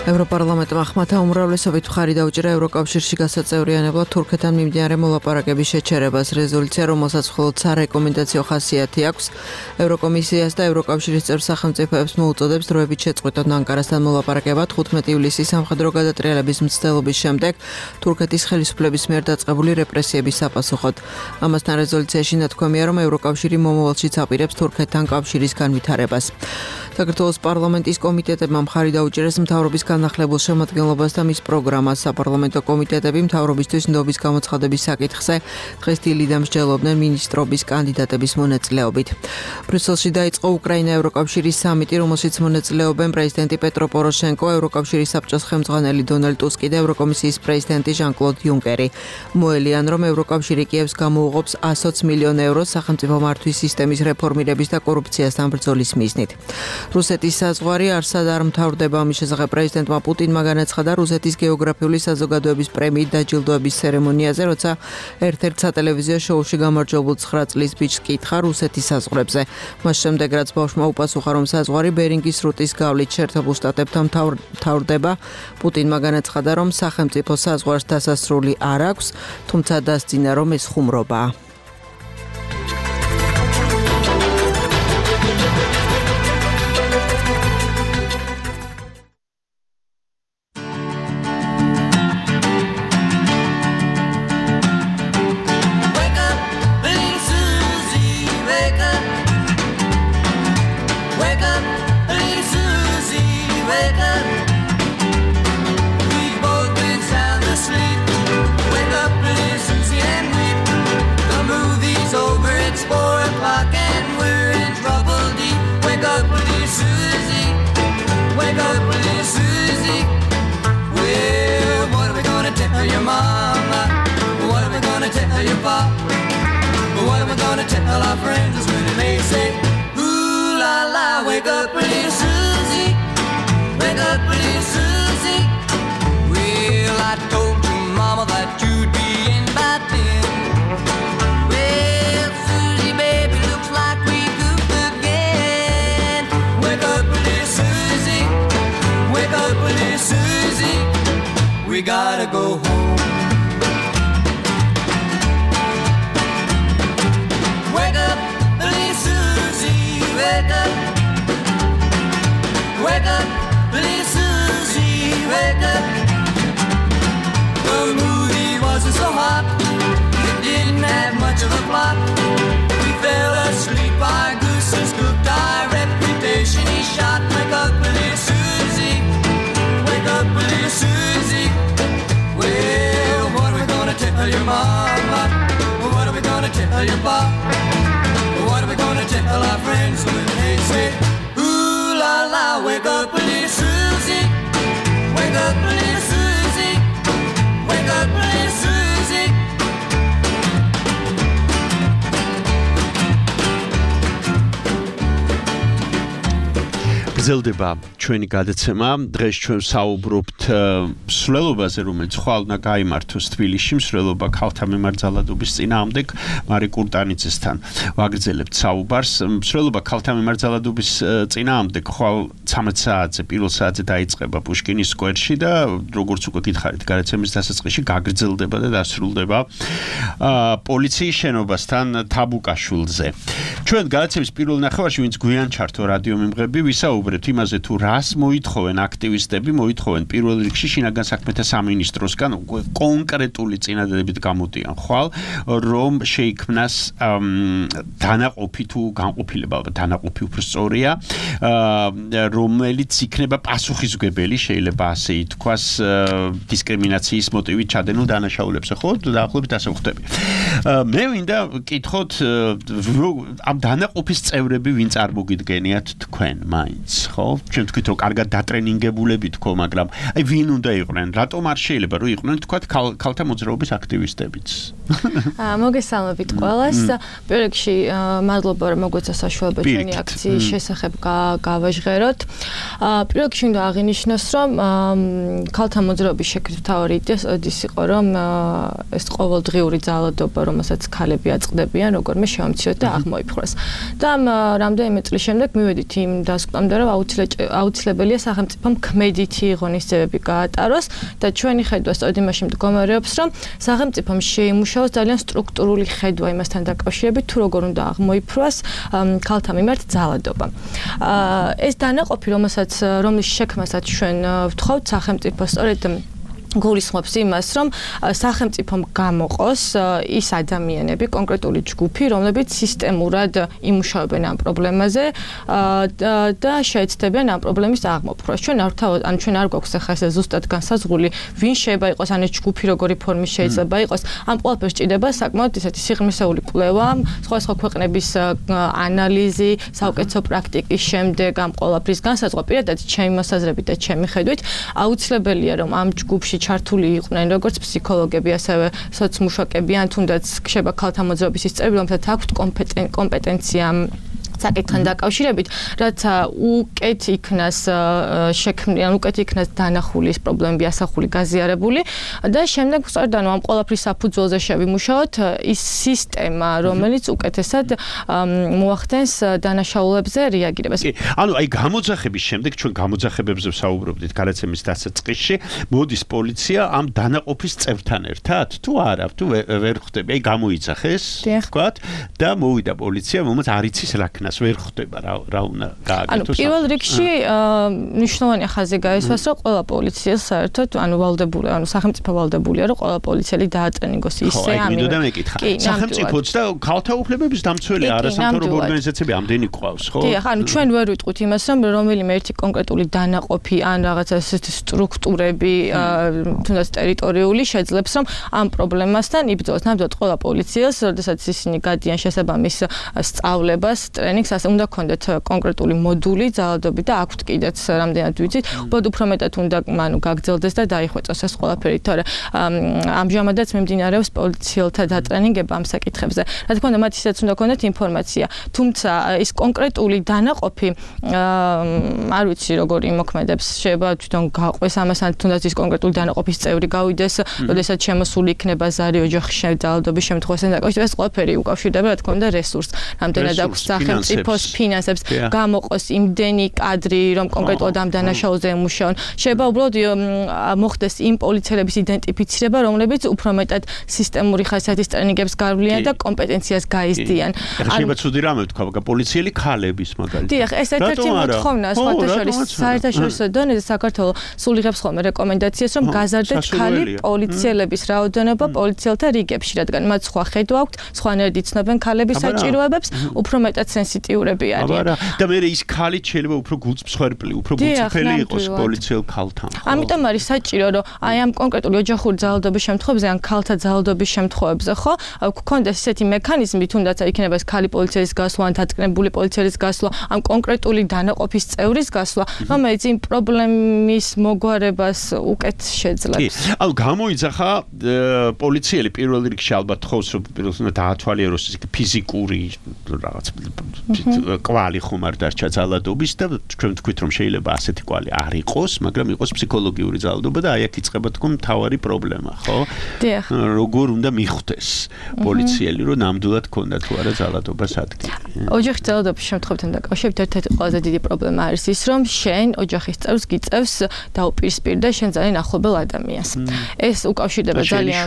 ევროპარლამენტმა ხმათა უმრავლესობით მხარი დაუჭირა ევროკავშირში გასაწევრიანებლად თურქეთთან მიმდინარე მოლაპარაკების შეჩერებას. რეზოლუცია, რომელსაც მხოლოდ სარეკომენდაციო ხასიათი აქვს, ევროკომისიას და ევროკავშირის წევრ სახელმწიფოებს მოუწოდებს დროებით შეწყვეტონ ანკარასთან მოლაპარაკება 15 ივლისის სამხედრო გადატრიალების მცდელობის შემდეგ თურქეთის ხელისუფლების მიერ დაწყებული რეპრესიების საპასუხოდ. ამასთან რეზოლუციაში ნათქვამია, რომ ევროკავშირი მომავალშიც აპირებს თურქეთთან კავშირის განვითარებას. საქართველოს პარლამენტის კომიტეტებმა მხარი დაუჭირეს მთავრობის განახლებულ შემადგენლობას და მის პროგრამას. საპარლამენტო კომიტეტები მთავრობისთვის ნდობის გამოცხადების საკითხზე დღეს დილიდან მსჯელობდნენ მინისტრობის კანდიდატების მონაწილეობით. ბრიუსელში დაიწყო უკრაინა-ევროკავშირის სამიტი, რომელშიც მონაწილეობენ პრეზიდენტი პეტრო პოროშენკო, ევროკავშირის საბჭოს ხელმძღვანელი დონალდ ტუსკი და ევროკომისიის პრეზიდენტი ჟან-კლოდ იუნკერი. მოელიან, რომ ევროკავშირი კიევს გამოუღობს 120 მილიონ ევროს სახელმწიფო მართვის სისტემის რეფორმირების და კორუფციასთან ბრძოლის მიზნით. რუსეთის საზღვარი არსად არ მთავრდება. ამის შესახებ პრეზიდენტმა პუტინმა განაცხადა რუსეთის გეოგრაფიული საზოგადოების პრემიით დაჯილდოების ცერემონიაზე, როცა ერთ-ერთ სატელევიზიო შოუში გამარჯვებულ 9 წლის ბიჭს კითხა რუსეთის საზღვრებზე. მას შემდეგ, რაც ბავშვმა უპასუხა, რომ საზღვარი ბერინგის სრუტის გავლით შეერთებულ შტატებთან მთავრდება, პუტინმა განაცხადა, რომ სახელმწიფო საზღვარს დასასრული არ აქვს, თუმცა დასძინა, რომ ეს ხუმრობაა.
We gotta go home. Wake up, little Susie, wake up. Wake up, little Susie, wake up. The movie wasn't so hot, it didn't have much of a plot. We fell asleep, our gooses cooked, our reputation is shot. Wake up, little Susie, wake up, little Susie. Well, what are we gonna tell your mama? What are we gonna tell your pop? What are we gonna tell our friends when they say, ooh la la, wake up, little Susie. Wake up, little Susie. Wake up, little Susie.
გრძელდება ჩვენი გადაცემა. დღეს ჩვენ საუბრობთ მსვლელობაზე, რომელიც ხვალ უნდა გაიმართოს თბილისში, მსვლელობა ქალთა მიმართ ძალადობის წინააღმდეგ მარი კურტანიძესთან. ვაგრძელებთ საუბარს. მსვლელობა ქალთა მიმართ ძალადობის წინააღმდეგ ხვალ 13 საათზე, პირველ საათზე დაიწყება პუშკინის სკვერში და როგორც უკვე გითხარით, გადაცემის დასაწყისში გაგრძელდება და დასრულდება პოლიციის შენობასთან თაბუკაშვილზე. ჩვენ გადაცემის პირველ ნახევარში, ვინც გვიან ჩართო რადიო მიმღები, ვისაუბრებთ იმაზე თუ რას მოითხოვენ აქტივისტები, მოითხოვენ პირველ რიგში შინაგან საქმეთა სამინისტროსგან კონკრეტული წინადადებით გამოდიან ხვალ, რომ შეიქმნას დანაყოფი თუ განყოფილება, ალბათ დანაყოფი უფრო სწორია, რომელიც იქნება პასუხისმგებელი, შეიძლება ასე ითქვას, დისკრიმინაციის მოტივით ჩადენილ დანაშაულებზე, ხო? დაახლოებით ასე ვხვდები. მე მინდა ვკითხოთ ამ დანაყოფის წევრები ვინ წარმოგიდგენიათ თქვენ მაინც, ხო? ჩვენ თქვით რომ კარგად დატრენინგებულები თქო, მაგრამ აი ვინ უნდა იყვნენ? რატომ არ შეიძლება რომ იყვნენ თქვათ ქალთა მოძრაობის აქტივისტებიც?
მოგესალმებით ყველას. პირველ რიგში მადლობა რომ მოგვეცა საშუალება ჩვენი აქციის შესახებ გავაჟღეროთ. პირველ რიგში უნდა აღინიშნოს რომ ქალთა მოძრაობის შექმნის მთავარი იდეა ის იყო რომ ეს ყოველდღიური ძალადობა რომელსაც ქალები აწყდებიან, როგორმე შევამციროთ და აღმოიფხვრას. და რამდენიმე წლის შემდეგ მივედით იმ დასკვნამდე, რომ აუცილებელია სახელმწიფომ ქმედითი ღონისძიებები გაატაროს და ჩვენი ხედვა სწორედ იმაში მდგომარეობს, რომ სახელმწიფომ შეიმუშაოს ძალიან სტრუქტურული ხედვა იმასთან დაკავშირებით, თუ როგორ უნდა აღმოიფრვას ქალთა მიმართ ძალადობა. ეს დანაყოფი, რომლის შექმნასაც ჩვენ ვთხოვთ სახელმწიფო სწორედ გულისხმობს იმას, რომ სახელმწიფომ გამოყოს ის ადამიანები, კონკრეტული ჯგუფი, რომლებიც სისტემურად იმუშავებენ ამ პრობლემაზე და შეეცდებიან ამ პრობლემის აღმოფხვრას. ჩვენ არ გვაქვს ახლა ესე ზუსტად განსაზღვრული, ვინ შეიძლება იყოს ან ეს ჯგუფი როგორი ფორმის შეიძლება იყოს. ამ ყველაფერს ჭირდება საკმაოდ ისეთი სიღრმისეული კვლევა, სხვადასხვა ქვეყნების ანალიზი, საუკეთესო პრაქტიკის შემდეგ ამ ყველაფრის განსაზღვრა. პირადად ჩემი მოსაზრებით და ჩემი ხედვით აუცილებელია, რომ ამ ჯგუფში ჩართული იყვნენ როგორც ფსიქოლოგები, ასევე სოციმუშაკები, ან თუნდაც ხდება ქალთა მოძრაობის ისწრები, რომელთაც აქვთ კომპეტენცია საკითხთან დაკავშირებით, რაც უკეთ იქნას შექმნიან, უკეთ იქნას დანახული ეს პრობლემები ასახული, გაზიარებული და შემდეგ სწორედ ამ ყველაფრის საფუძველზე შევიმუშაოთ ის სისტემა, რომელიც უკეთესად მოახდენს დანაშაულებებზე რეაგირებას.
ანუ აი გამოძახების შემდეგ ჩვენ გამოძახებებზე ვსაუბრობდით გადაცემის დასაწყისში, მოდის პოლიცია ამ დანაყოფის წევრთან ერთად? თუ არა, თუ ვერ ხვდები, აი გამოიძახეს, თქვათ და მოვიდა პოლიცია, რომელიც არ იცის რა ქნას ვერ ხვდება რა უნდა გააკეთოს.
პირველ რიგში მნიშვნელოვანია ხაზი გაისვას, რომ ყველა პოლიციას საერთოდ ვალდებული, სახელმწიფო ვალდებულია, რომ ყველა პოლიციელი დაატრენინგოს ისე
აი მინდოდა მეკითხა. სახელმწიფოც და ქალთა უფლებების დამცველი არასამთავრობო ორგანიზაციები ამდენი ყავს, ხო?
დიახ, ჩვენ ვერ ვიტყვით იმას, რომ რომელიმე ერთი კონკრეტული დანაყოფი ან რაღაცა ესეთი სტრუქტურები, თუნდაც ტერიტორიული შეძლებს, რომ ამ პრობლემასთან იბრძოლოს. ნამდვილად ყველა პოლიციას, როდესაც ისინი გადიან შესაბამის სწავლებას, ტრენინგს, ასე უნდა ქონდეთ კონკრეტული მოდული ძალადობი და აქვთ კიდეც რამდენად ვიცით, უბრალოდ უფრო მეტად უნდა გაგრძელდეს და დაიხვეწოს ეს ყველაფერი, თორე ამჟამადაც მიმდინარეობს პოლიციელთა დატრენინგება ამ საკითხებზე. რა თქმა უნდა, მათ ისეც უნდა ქონდეთ ინფორმაცია, თუმცა ის კონკრეტული დანაყოფი არ ვიცი როგორ იმოქმედებს, შეიძლება თვითონ გაყვეს ამასთან, თუნდაც ის კონკრეტული დანაყოფის წევრი გავიდეს, როდესაც შემოსული იქნება ზარი ოჯახის ძალადობის შემთხვევასთან დაკავშირებით, ეს ყველაფერი უკავშირდება, რა თქმა უნდა, რესურსს, რამდენად აქვს სახელმწიფოს ფინანსებს, გამოყოს იმდენი კადრი, რომ კონკრეტულად ამ დანაშაულზე ემუშაონ. შეიძლება უბრალოდ მოხდეს იმ პოლიციელების იდენტიფიცირება, რომლებიც უფრო მეტად სისტემური ხასიათის ტრენინგებს გავლიან და კომპეტენციას გაიზრდიან.
შეიძლება ცუდი რამე ვთქვა, პოლიციელი ქალების მაგალითად.
დიახ, ეს ერთ-ერთი მოთხოვნა საერთაშორისო დონეზე საქართველოს სულ იღებს ხოლმე რეკომენდაციას, რომ გაზარდეთ ქალი პოლიციელების რაოდენობა პოლიციელთა რიგებში, რადგან მათ სხვა ხედვა აქვთ, სხვანაირად იცნობენ ქალების საჭიროებებს, უფრო მეტად სენსიტიურები არიან.
და მე ის ქალი შეიძლება უფრო გულწრფელი, უფრო გულწრფელი იყოს პოლიციელ ქალთან.
ამიტომ არის საჭირო, რომ აი ამ კონკრეტული ოჯახური ძალადობის შემთხვევებზე, ან ქალთა ძალადობის შემთხვევებზე, ხო, გქონდეს ესეთი მექანიზმი, თუნდაც იქნება ეს ქალი პოლიციის გასვლა, ან დატკნებული პოლიციის გასვლა, ამ კონკრეტული დანაყოფის წევრის გასვლა, რომელიც იმ პრობლემის მოგვარებას უკეთ შეძლებს.
ანუ გამოიძახა პოლიციელი პირველ რიგში ალბათ ხოს, რომ პირველად დაათვალიეროს ფიზიკური რაღაც კვალი ხომ არ დარჩა ძალადობის და ჩვენ ვთქვით, რომ შეიძლება ასეთი კვალი არ იყოს, მაგრამ იყოს ფსიქოლოგიური ძალადობა და აი აქ იწყება თქო მთავარი პრობლემა, ხო?
დიახ.
როგორ უნდა მიხვდეს პოლიციელი, რომ ნამდვილად ქონდა თუ არა ძალადობას ადგილი.
ოჯახის ძალადობის შემთხვევებთან დაკავშირებით ერთ-ერთი ყველაზე დიდი პრობლემა არის ის, რომ შენ ოჯახის წევრს გიწევს დაუპირისპირდა შენ ძალიან ახლობელ ადამიანს. ეს უკავშირდება ძალიან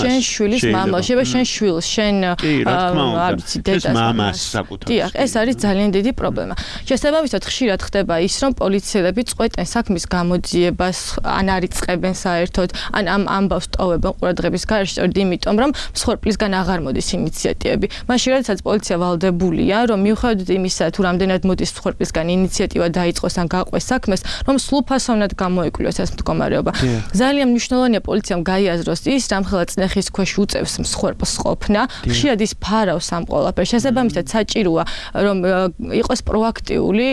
შენ შვილის მამას, შეიძლება შენ შვილს, შენ არ ვიცი დედას,
მამას საკუთარ.
დიახ, ეს არის ძალიან დიდი პრობლემა. შესაბამისად ხშირად ხდება ის, რომ პოლიციელები წყვეტენ საქმის გამოძიებას, ან არიწყებენ საერთოდ, ან ამ ამბავს ტოვებენ ყურადღების გარეშე, სწორედ იმიტომ, რომ მსხვერპლისგან აღარ მოდის ინიციატივები. მაშინ, როდესაც პოლიცია ვალდებულია, რომ მიუხედავად იმისა, თუ რამდენად მოდის მსხვერპლისგან ინიციატივა დაიწყოს ან გაყვეს საქმეს, რომ სრულფასოვნად გამოიკვლიოს ეს მდგომარეობა. ძალიან მნიშვნელოვანია პოლიციამ გაიაზროს ის, რამხელა წნეხის ქვეშ უწევს მსხვერპლს ყოფნა, ხშირად ის ფარავს ამ ყველაფერს. შესაბამისად საჭიროა, რომ იყოს პროაქტიული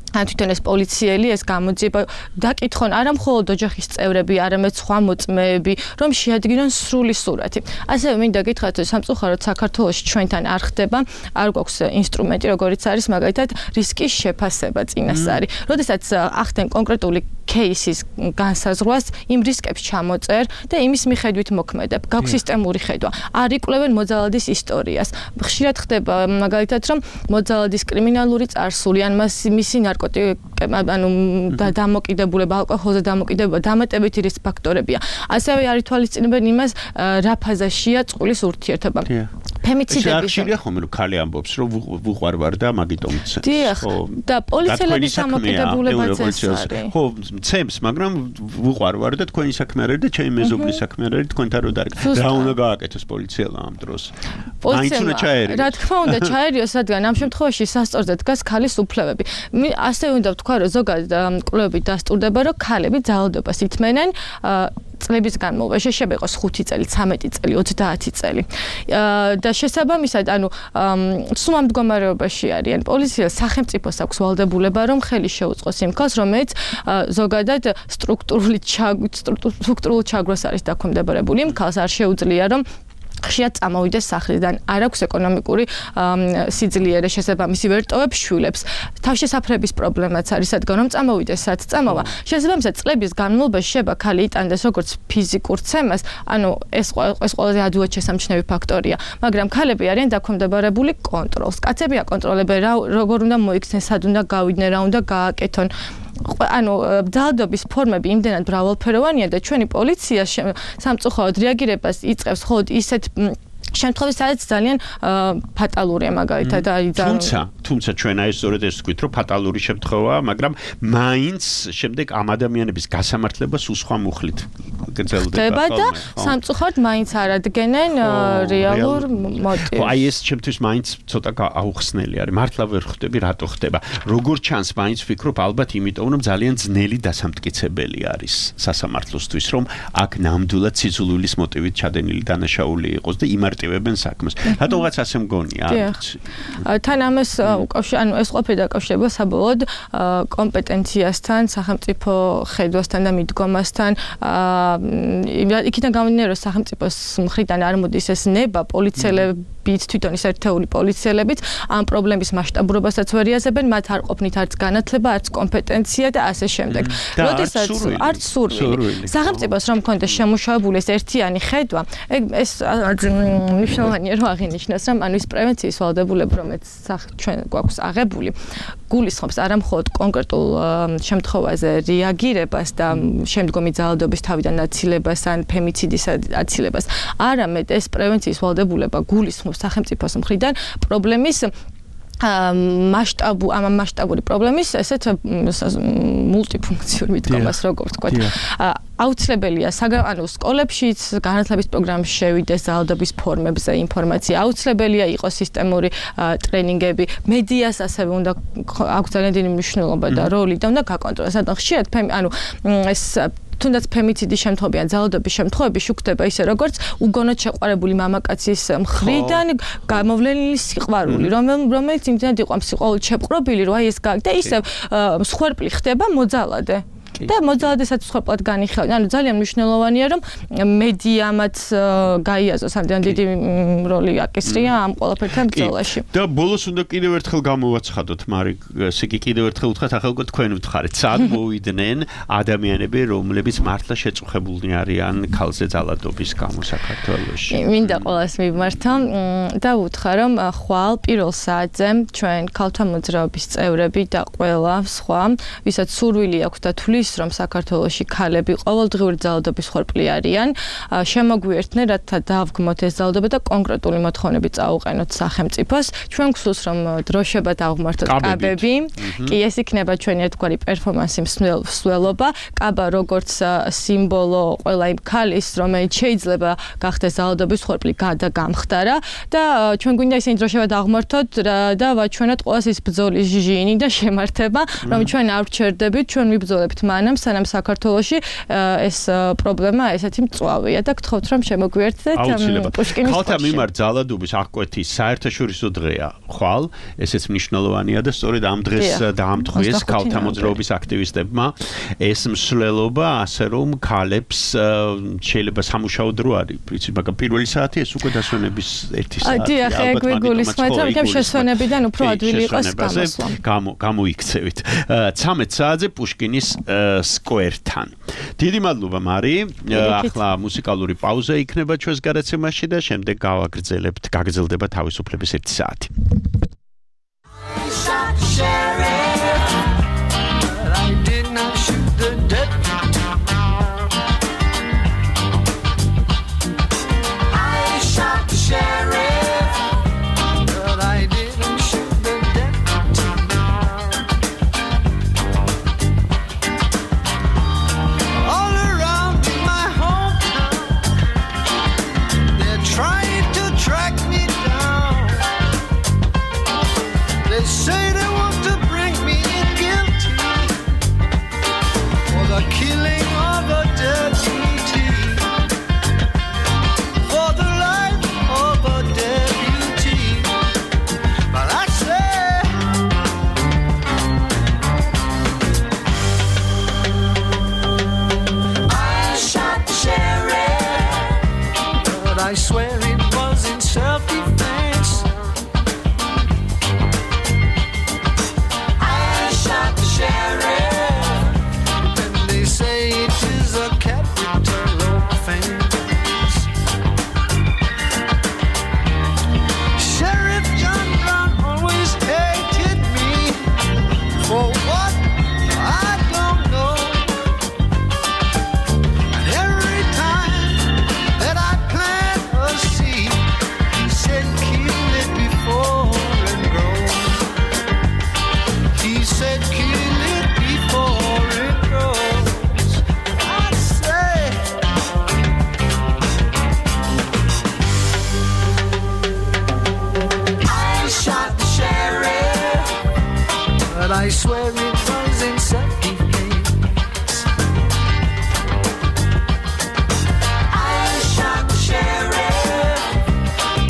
ან თვითონ ეს პოლიციელი ეს გამოძიება დაკითხონ არა მხოლოდ ოჯახის წევრები, არამედ სხვა მოწმეები, რომ შეადგინონ სრული სურათი. ასევე მინდა გითხრათ, რომ სამწუხაროდ საქართველოში ჩვენთან არ ხდება, არ გვაქვს ინსტრუმენტი, როგორიც არის მაგალითად რისკის შეფასება წინასწარი. როდესაც ახდენ კონკრეტული кейსის განსაზღვრას იმ რისკებს ჩამოწერ და იმის მიხედვით მოქმედებ. გაქვს სისტემური ხედვა. არ იკვლევენ მოძალადის ისტორიას. ხშირად ხდება მაგალითად რომ მოძალადის კრიმინალური წარსული ან მისი დამოკიდებულება ალკოჰოლზე დამოკიდებულება დამატებითი რისკ ფაქტორებია. ასევე არ ითვალისწინებენ იმას რა ფაზაშია წყვილის ურთიერთობა. ფემიციდების
შეხშია ხომ რომ ქალი ამბობს რომ ვუყვარვარ და მაგიტომიც.
დიახ და პოლიციელების დამოკიდებულებაც ეს არის.
ხო, მცემს, მაგრამ ვუყვარვარ და თქვენი საქმე არის და ჩემი მეზობლის საქმე არის თქვენთან რო დარგ. რა უნდა გააკეთოს პოლიციელმა ამ დროს? მაინც უნდა ჩაერიოს.
რა თქმა უნდა ჩაერიოს, რადგან ამ შემთხვევაში სასწორზე დგას ქალის უფლებები. ასე უნდა ვთქვა, რომ ზოგადად კვლევებით დასტურდება, რომ ქალები ძალადობას ითმენენ წლების განმავლობაში, შეიძლება იყოს 5 წელი, 13 წელი, 30 წელი. და შესაბამისად, სულ ამ მდგომარეობაში არიან. პოლიციას სახელმწიფოს აქვს ვალდებულება, რომ ხელი შეუწყოს იმ ქალს, რომელიც ზოგადად სტრუქტურული ჩაგვრას არის დაქვემდებარებული. იმ ქალს არ შეუძლია, რომ ხშირად წამოვიდეს სახლიდან, არ აქვს ეკონომიკური სიძლიერე შესაბამისი ვერტოვებს შვილებს. თავშესაფრების პრობლემაც არის, რადგან რომ წამოვიდეს სად წამოვა. შესაბამისად წლების განმავლობაში შეიძლება ქალი იტანდეს როგორც ფიზიკურ ცემას, ეს ყველაზე ადვილად შესამჩნევი ფაქტორია, მაგრამ ქალები არიან დაქვემდებარებული კონტროლს. კაცები აკონტროლებენ როგორ უნდა მოიქცნენ, სად უნდა გავიდნენ, რა უნდა გააკეთონ. ძალადობის ფორმები იმდენად მრავალფეროვანია და ჩვენი პოლიცია სამწუხაროდ რეაგირებას იწყებს მხოლოდ ისეთ შემთხვევაში, სადაც ძალიან ფატალურია მაგალითად
თუმცა ჩვენ აი სწორედ ეს ვთქვით, რომ ფატალური შემთხვევაა, მაგრამ მაინც შემდეგ ამ ადამიანების გასამართლებას უსხვა მუხლით გრძელდება
და სამწუხაროდ მაინც არ ადგენენ რეალურ მოტივს.
აი ეს ჩემთვის მაინც ცოტა აუხსნელი არის. მართლა ვერ ხვდები რატო ხდება. როგორ ჩანს მაინც ვფიქრობ ალბათ იმიტომ რომ ძალიან ძნელი დასამტკიცებელი არის სასამართლოსთვის, რომ აქ ნამდვილად სიძულვილის მოტივით ჩადენილი დანაშაული იყოს და იმარტივებენ საქმეს. რატოღაც ასე მგონია?
თან ამას ეს ყოფილი დაკავშირება საბოლოოდ კომპეტენციასთან, სახელმწიფო ხედვასთან და მიდგომასთან. იქიდან გამომდინარე, რომ სახელმწიფოს მხრიდან არ მოდის ეს ნება, პოლიციელებიც თვითონ ის ერთეული პოლიციელებიც ამ პრობლემის მასშტაბურობასაც ვერ იაზებენ, მათ არ ყოფნით არც განათლება, არც კომპეტენცია და ასე შემდეგ. როდესაც არც სურვილი. სახელმწიფოს რომ მქონდეს შემუშავებული ეს ერთიანი ხედვა, ეს მნიშვნელოვანია რომ აღინიშნოს, რომ ის პრევენციის ვალდებულება, რომელიც ჩვენ გვაქვს აღებული, გულისხმობს არა მხოლოდ კონკრეტულ შემთხვევაზე რეაგირებას და შემდგომი ძალადობის თავიდან აცილებას ან ფემიციდის აცილებას, არამედ ეს პრევენციის ვალდებულება გულისხმობს სახელმწიფოს მხრიდან პრობლემის მასშტაბური პრობლემის ესეთ მულტიფუნქციური მიდგომას, როგორ ვთქვათ. აუცილებელია სკოლებშიც განათლების პროგრამში შევიდეს ძალადობის ფორმებზე ინფორმაცია, აუცილებელია იყოს სისტემური ტრენინგები, მედიას ასევე უნდა აქვს ძალიან დიდი მნიშვნელობა და როლი და უნდა გაკონტროლოს. ხშირად ეს თუნდაც ფემიციდის შემთხვევები ან ძალადობის შემთხვევები შუქდება ისე როგორც უგონოდ შეყვარებული მამაკაცის მხრიდან გამოვლენილი სიყვარული, რომელიც იმდენად იყო სიყვარულით შეპყრობილი, რომ აი ეს და ისევ მსხვერპლი ხდება მოძალადე. და მოძალადესაც მსხვერპლად განიხილავენ. ძალიან მნიშვნელოვანია, რომ მედიამაც გაიაზროს ამ დიდი როლი აკისრია ამ ყველაფერთან ბრძოლაში.
და ბოლოს უნდა კიდევ ერთხელ გამოვაცხადოთ, მარიკ, ესე იგი კიდევ ერთხელ ვთქვათ, ახლა თქვენ ვთხარით, სად მოვიდნენ ადამიანები, რომლებიც მართლა შეწუხებულნი არიან ქალზე ძალადობის გამო საქართველოში.
მინდა ყველას მიმართო და ვუთხრა, რომ ხვალ პირველ საათზე ჩვენ ქალთა მოძრაობის წევრები და ყველა სხვა, ვისაც სურვილი აქვს და თulis რომ საქართველოში ქალები ყოველდღიური ძალადობის ხორპლი არიან, შემოგვიერთდნენ, რათა დავგმოთ ეს ძალადობა და კონკრეტული მოთხოვნები წაუყენოთ სახელმწიფოს. ჩვენ გვსურს რომ დროშება დავღმართოთ კაბები. კი, ეს იქნება ჩვენი ერთგვარი პერფორმანსი მსვლელობა. კაბა როგორც სიმბოლო ყველა იმ ქალის, რომელიც შეიძლება გახდეს ძალადობის ხორპლი და გამხდარა და ჩვენ გვინდა ისინი დროშება დავღმართოთ და ვაჩვენოთ ყველას ის ბრძოლის ჟინი და შემართება, რომ ჩვენ არ ვჩერდებით, ჩვენ ვიბრძოლებთ მანამ სანამ საქართველოში ეს პრობლემა ესეთი მწვავეა და გთხოვთ რომ შემოგვიერთდეთ პუშკინის
ქალთა მიმართ ძალადობის აღკვეთის საერთაშორისო დღეა ხვალ, ესეც მნიშვნელოვანია და სწორედ ამ დღეს დაამტყვიეს ქალთა მოძრაობის აქტივისტებმა ეს მსვლელობა, ასე რომ ქალებს შეიძლება სამუშაო დრო არის, პრინციპი, მაგრამ პირველი საათი ეს უკვე დასვენების 1 საათი.
დიახ, ეგ ვიგულისხმეთ, რომ იქნებ შესვენებიდან უფრო ადვილი იყოს გამოსვლა.
გამოიქცევით. 13 საათზე პუშკინის სკვერთან. დიდი მადლობა მარი. ახლა მუსიკალური პაუზა იქნება ჩვენს გადაცემაში და შემდეგ გაგრძელდება თავისუფლების 1 საათი.
I swear it was in self-defense. I shot the sheriff, and they say it is a capital offense. Sheriff John Brown always hated me for what I don't know. And every time that I plant a seed, he said kill it before it grows. He said kill it before it grows. I say I shot the sheriff, but I swear it was in self-defense. I shot the sheriff,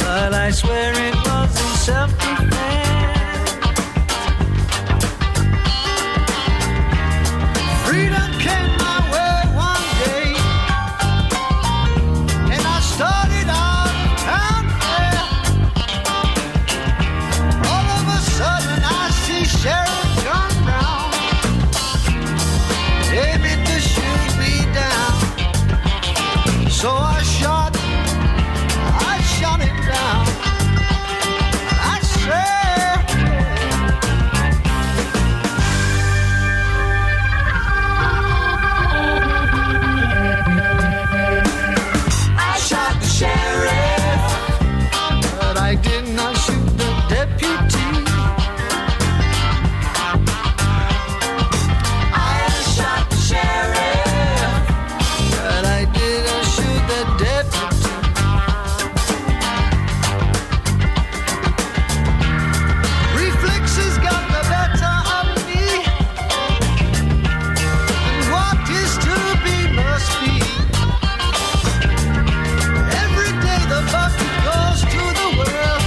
but I swear it was in self-defense. Freedom came my way one day, and I started out town there. All of a sudden I see Sheriff John Brown aiming to shoot me down. So I shot him down. I said I shot the sheriff, but I did not shoot the deputy. I shot the sheriff, but I didn't shoot the deputy. Reflexes got the better of me, and what is to be must be. Every day the bucket goes to the well,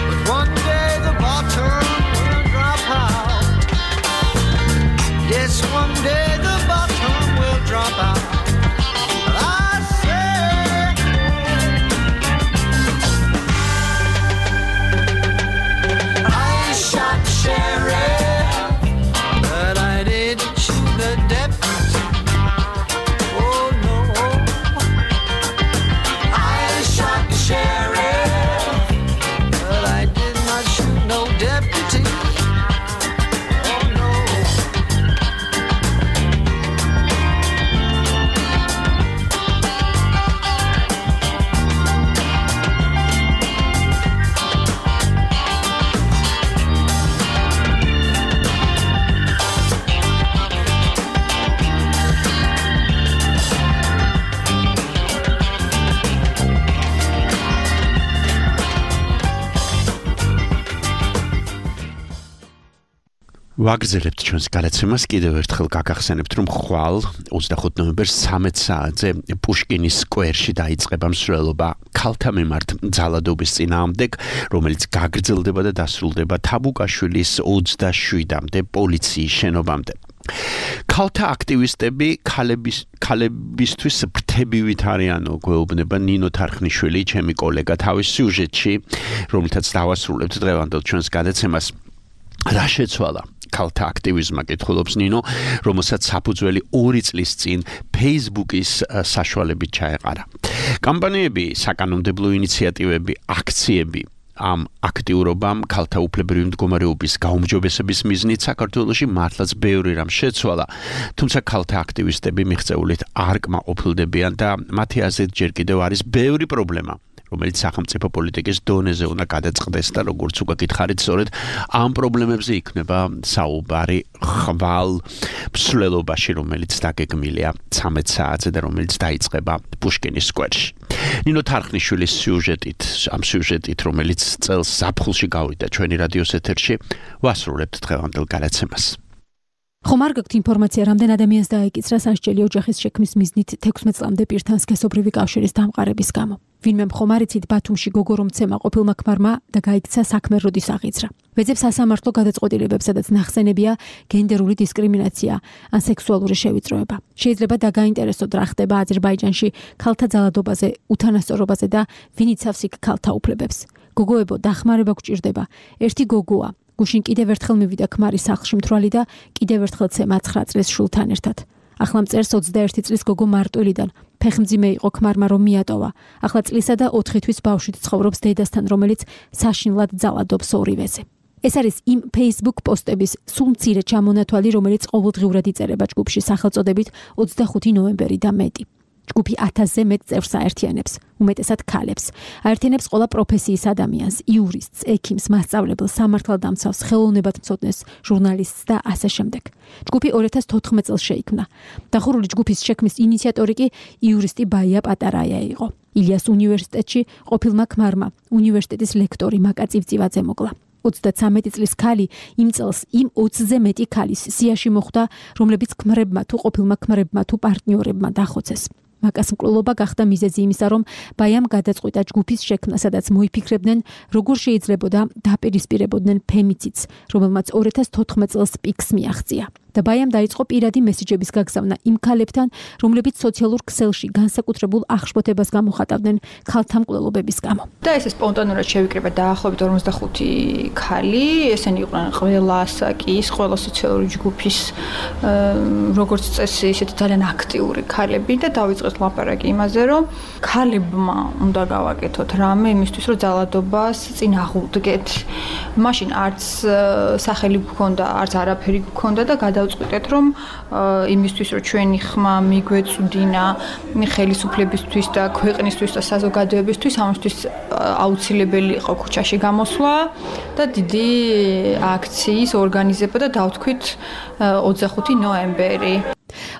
but one day the bottom will drop out. Yes, one day the bottom will drop out. But I say I shot the sheriff, but I didn't shoot the deputy. Oh no, I shot the sheriff, but I did not shoot no deputy. Oh no.
ვაგრძელებთ ჩვენს გადაცემას კიდევ ერთხელ გაგახსენებთ რომ ხვალ 25 ნოემბერს 13 საათზე პუშკინის სკვერში დაიწყება მსვლელობა ქალთა მიმართ ძალადობის წინააღმდეგ, რომელიც გაგრძელდება და დასრულდება თაბუკაშვილის 27-მდე პოლიციის შენობამდე. ქალთა აქტივისტები ქალებისთვის ფრთებივით არიანო გვეუბნება ნინო თარხნიშვილი, ჩემი კოლეგა თავის სიუჟეტში, რომელთაც დავასრულებთ დღევანდელ ჩვენს გადაცემას. რა შეცვალა ქალთა აქტივიზმმა კითხულობს ნინო, რომელსაც საფუძველი 2 წლის წინ Facebook-ის საშუალებით ჩაეყარა. კამპანიები, საკანონმდებლო ინიციატივები, აქციები ამ აქტიურობამ ქალთა უფლებრივი მდგომარეობის გაუმჯობესების მიზნით საქართველოში მართლაც ბევრი რამ შეცვალა, თუმცა ქალთა აქტივისტები მიღწეულით არ კმაყოფილდებიან და მათი აზრით ჯერ კიდევ არის ბევრი პრობლემა, რომელიც სახელმწიფო პოლიტიკის დონეზე უნდა გადაწყდეს და როგორც უკვე გითხარით, სწორედ ამ პრობლემებზე იქნება საუბარი ხვალ მსვლელობაში, რომელიც დაგეგმილია 13 საათზე და რომელიც დაიწყება პუშკინის სკვერში. ნინო თარხნიშვილის ამ სიუჟეტით, რომელიც წელს ზაფხულში გავიდა ჩვენი რადიოს ეთერში, ვასრულებთ დღევანდელ გადაცემას.
ხომ არ გაქვთ ინფორმაცია, რამდენ ადამიანს დაეკიცრა სასჯელი ოჯახის შექმნის მიზნით 16 წლამდე პირთან სქესობრივი კავშირის დამყარების გამო. ვინმე ხომ არ იცით ბათუმში გოგო რომ ცემა ყოფილმა ქმარმა და გაიქცა საქმე როდის აღიძრა. ვეძებ სასამართლო გადაწყვეტილებებს, სადაც ნახსენებია გენდერული დისკრიმინაცია ან სექსუალური შევიწროება. შეიძლება დაგაინტერესოთ რა ხდება აზერბაიჯანში ქალთა ძალადობაზე, უთანასწორობაზე და ვინ იცავს იქ ქალთა უფლებებს. გოგოებო, დახმარება გჭირდება. ერთი გოგოა გუშინ კიდევ ერთხელ მივიდა ქმარის სახლში მთვრალი და კიდევ ერთხელ ცემა 9 წლის შულთან ერთად. ახლა მწერს 21 წლის გოგო მარტვილიდან. ფეხმძიმე იყო ქმარმა რომ მიატოვა. ახლა წლისა და 4 თვის ბავშვით ცხოვრობს დედასთან, რომელიც საშინლად ძალადობს ორივეზე. ეს არის იმ Facebook პოსტების სულ მცირე ჩამონათვალი, რომელიც ყოველდღიურად იწერება ჯგუფში სახელწოდებით 25 ნოემბერი და მეტი. ჯგუფი 1000-ზე მეტ წევრს აერთიანებს, უმეტესად ქალებს. აერთიანებს ყველა პროფესიის ადამიანს, იურისტს, ექიმს, მასწავლებელს, სამართალდამცავს, ხელოვნებათმცოდნეს, ჟურნალისტს და ასე შემდეგ. ჯგუფი 2014 წელს შეიქმნა. დახურული ჯგუფის შექმნის ინიციატორი კი იურისტი ბაია პატარაია იყო. ილიას უნივერსიტეტში ყოფილმა ქმარმა, უნივერსიტეტის ლექტორი მაკა წივწივაძე მოკლა. 33 წლის ქალი იმ წელს იმ 20-ზე მეტი ქალის სიაში მოხვდა, რომლებიც ქმრებმა თუ ყოფილმა ქმრებმა თუ პარტნიორებმა დახოცეს. მაკას მკვლელობა გახდა მიზეზი იმისა, რომ ბაიამ გადაწყვიტა ჯგუფის შექმნა, სადაც მოიფიქრებდნენ, როგორ შეიძლებოდა დაპირისპირებოდნენ ფემიციდს, რომელმაც 2014 წელს პიკს მიაღწია. და ბაიამ დაიწყო პირადი მესიჯების გაგზავნა იმ ქალებთან, რომლებიც სოციალურ ქსელში განსაკუთრებულ აღშფოთებას გამოხატავდნენ ქალთა მკვლელობების გამო.
და ესე სპონტანურად შევიკრიბა დაახლოებით 45 ქალი, ესენი იყვნენ ყველა ასაკის, ყველა სოციალური ჯგუფის როგორც წესი, ისეთი ძალიან აქტიური ქალები და დავიწყეთ ლაპარაკი იმაზე, რომ ქალებმა უნდა გავაკეთოთ რამე იმისთვის, რომ ძალადობას წინ აღუდგეთ. მაშინ არც სახელი გქონდა, არც არაფერი გქონდა და დავწყვიტეთ, რომ იმისთვის, რომ ჩვენი ხმა მიგვეწუდინა ხელისუფლებისთვის და ქვეყნისთვის და საზოგადოებისთვის, ამისთვის აუცილებელი იყო ქუჩაში გამოსვლა და დიდი აქციის ორგანიზება და დავთქვით 25 ნოემბერი.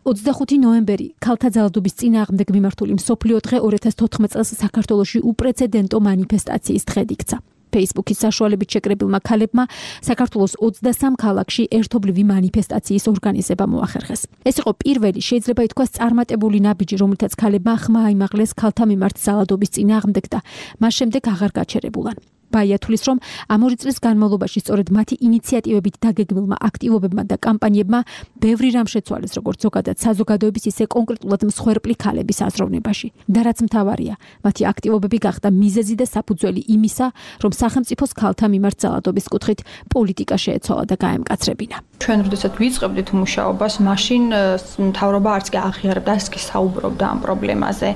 25 ნოემბერი ქალთა ძალადობის წინააღმდეგ მიმართული მსოფლიო დღე 2014 წელს საქართველოში უპრეცედენტო მანიფესტაციის დღედ იქცა. Facebook-ის საშუალებით შეკრებილმა ქალებმა საქართველოს 23 ქალაქში ერთობლივი მანიფესტაციის ორგანიზება მოახერხეს. ეს იყო პირველი, შეიძლება ითქვას, წარმატებული ნაბიჯი, რომელთაც ქალებმა ხმა აიმაღლეს ქალთა მიმართ ძალადობის წინააღმდეგ და მას შემდეგ აღარ გაჩერებულან. ბაია თulis, რომ ამ 2 წლის განმავლობაში სწორედ მათი ინიციატივებით დაგეგმილმა აქტივობებმა და კამპანიებმა ბევრი რამ შეცვალეს, როგორც ზოგადად საზოგადოების, ისე კონკრეტულად მსხვერპლი ქალების აზროვნებაში. და რაც მთავარია, მათი აქტივობები გახდა მიზეზი და საფუძველი იმისა, რომ სახელმწიფოს ქალთა მიმართ ძალადობის კუთხით პოლიტიკა შეეცვალა და გაემკაცრებინა.
ჩვენ როდესაც ვიწყებდით მუშაობას, მაშინ მთავრობა არც კი აღიარებდა, არც კი საუბრობდა ამ პრობლემაზე.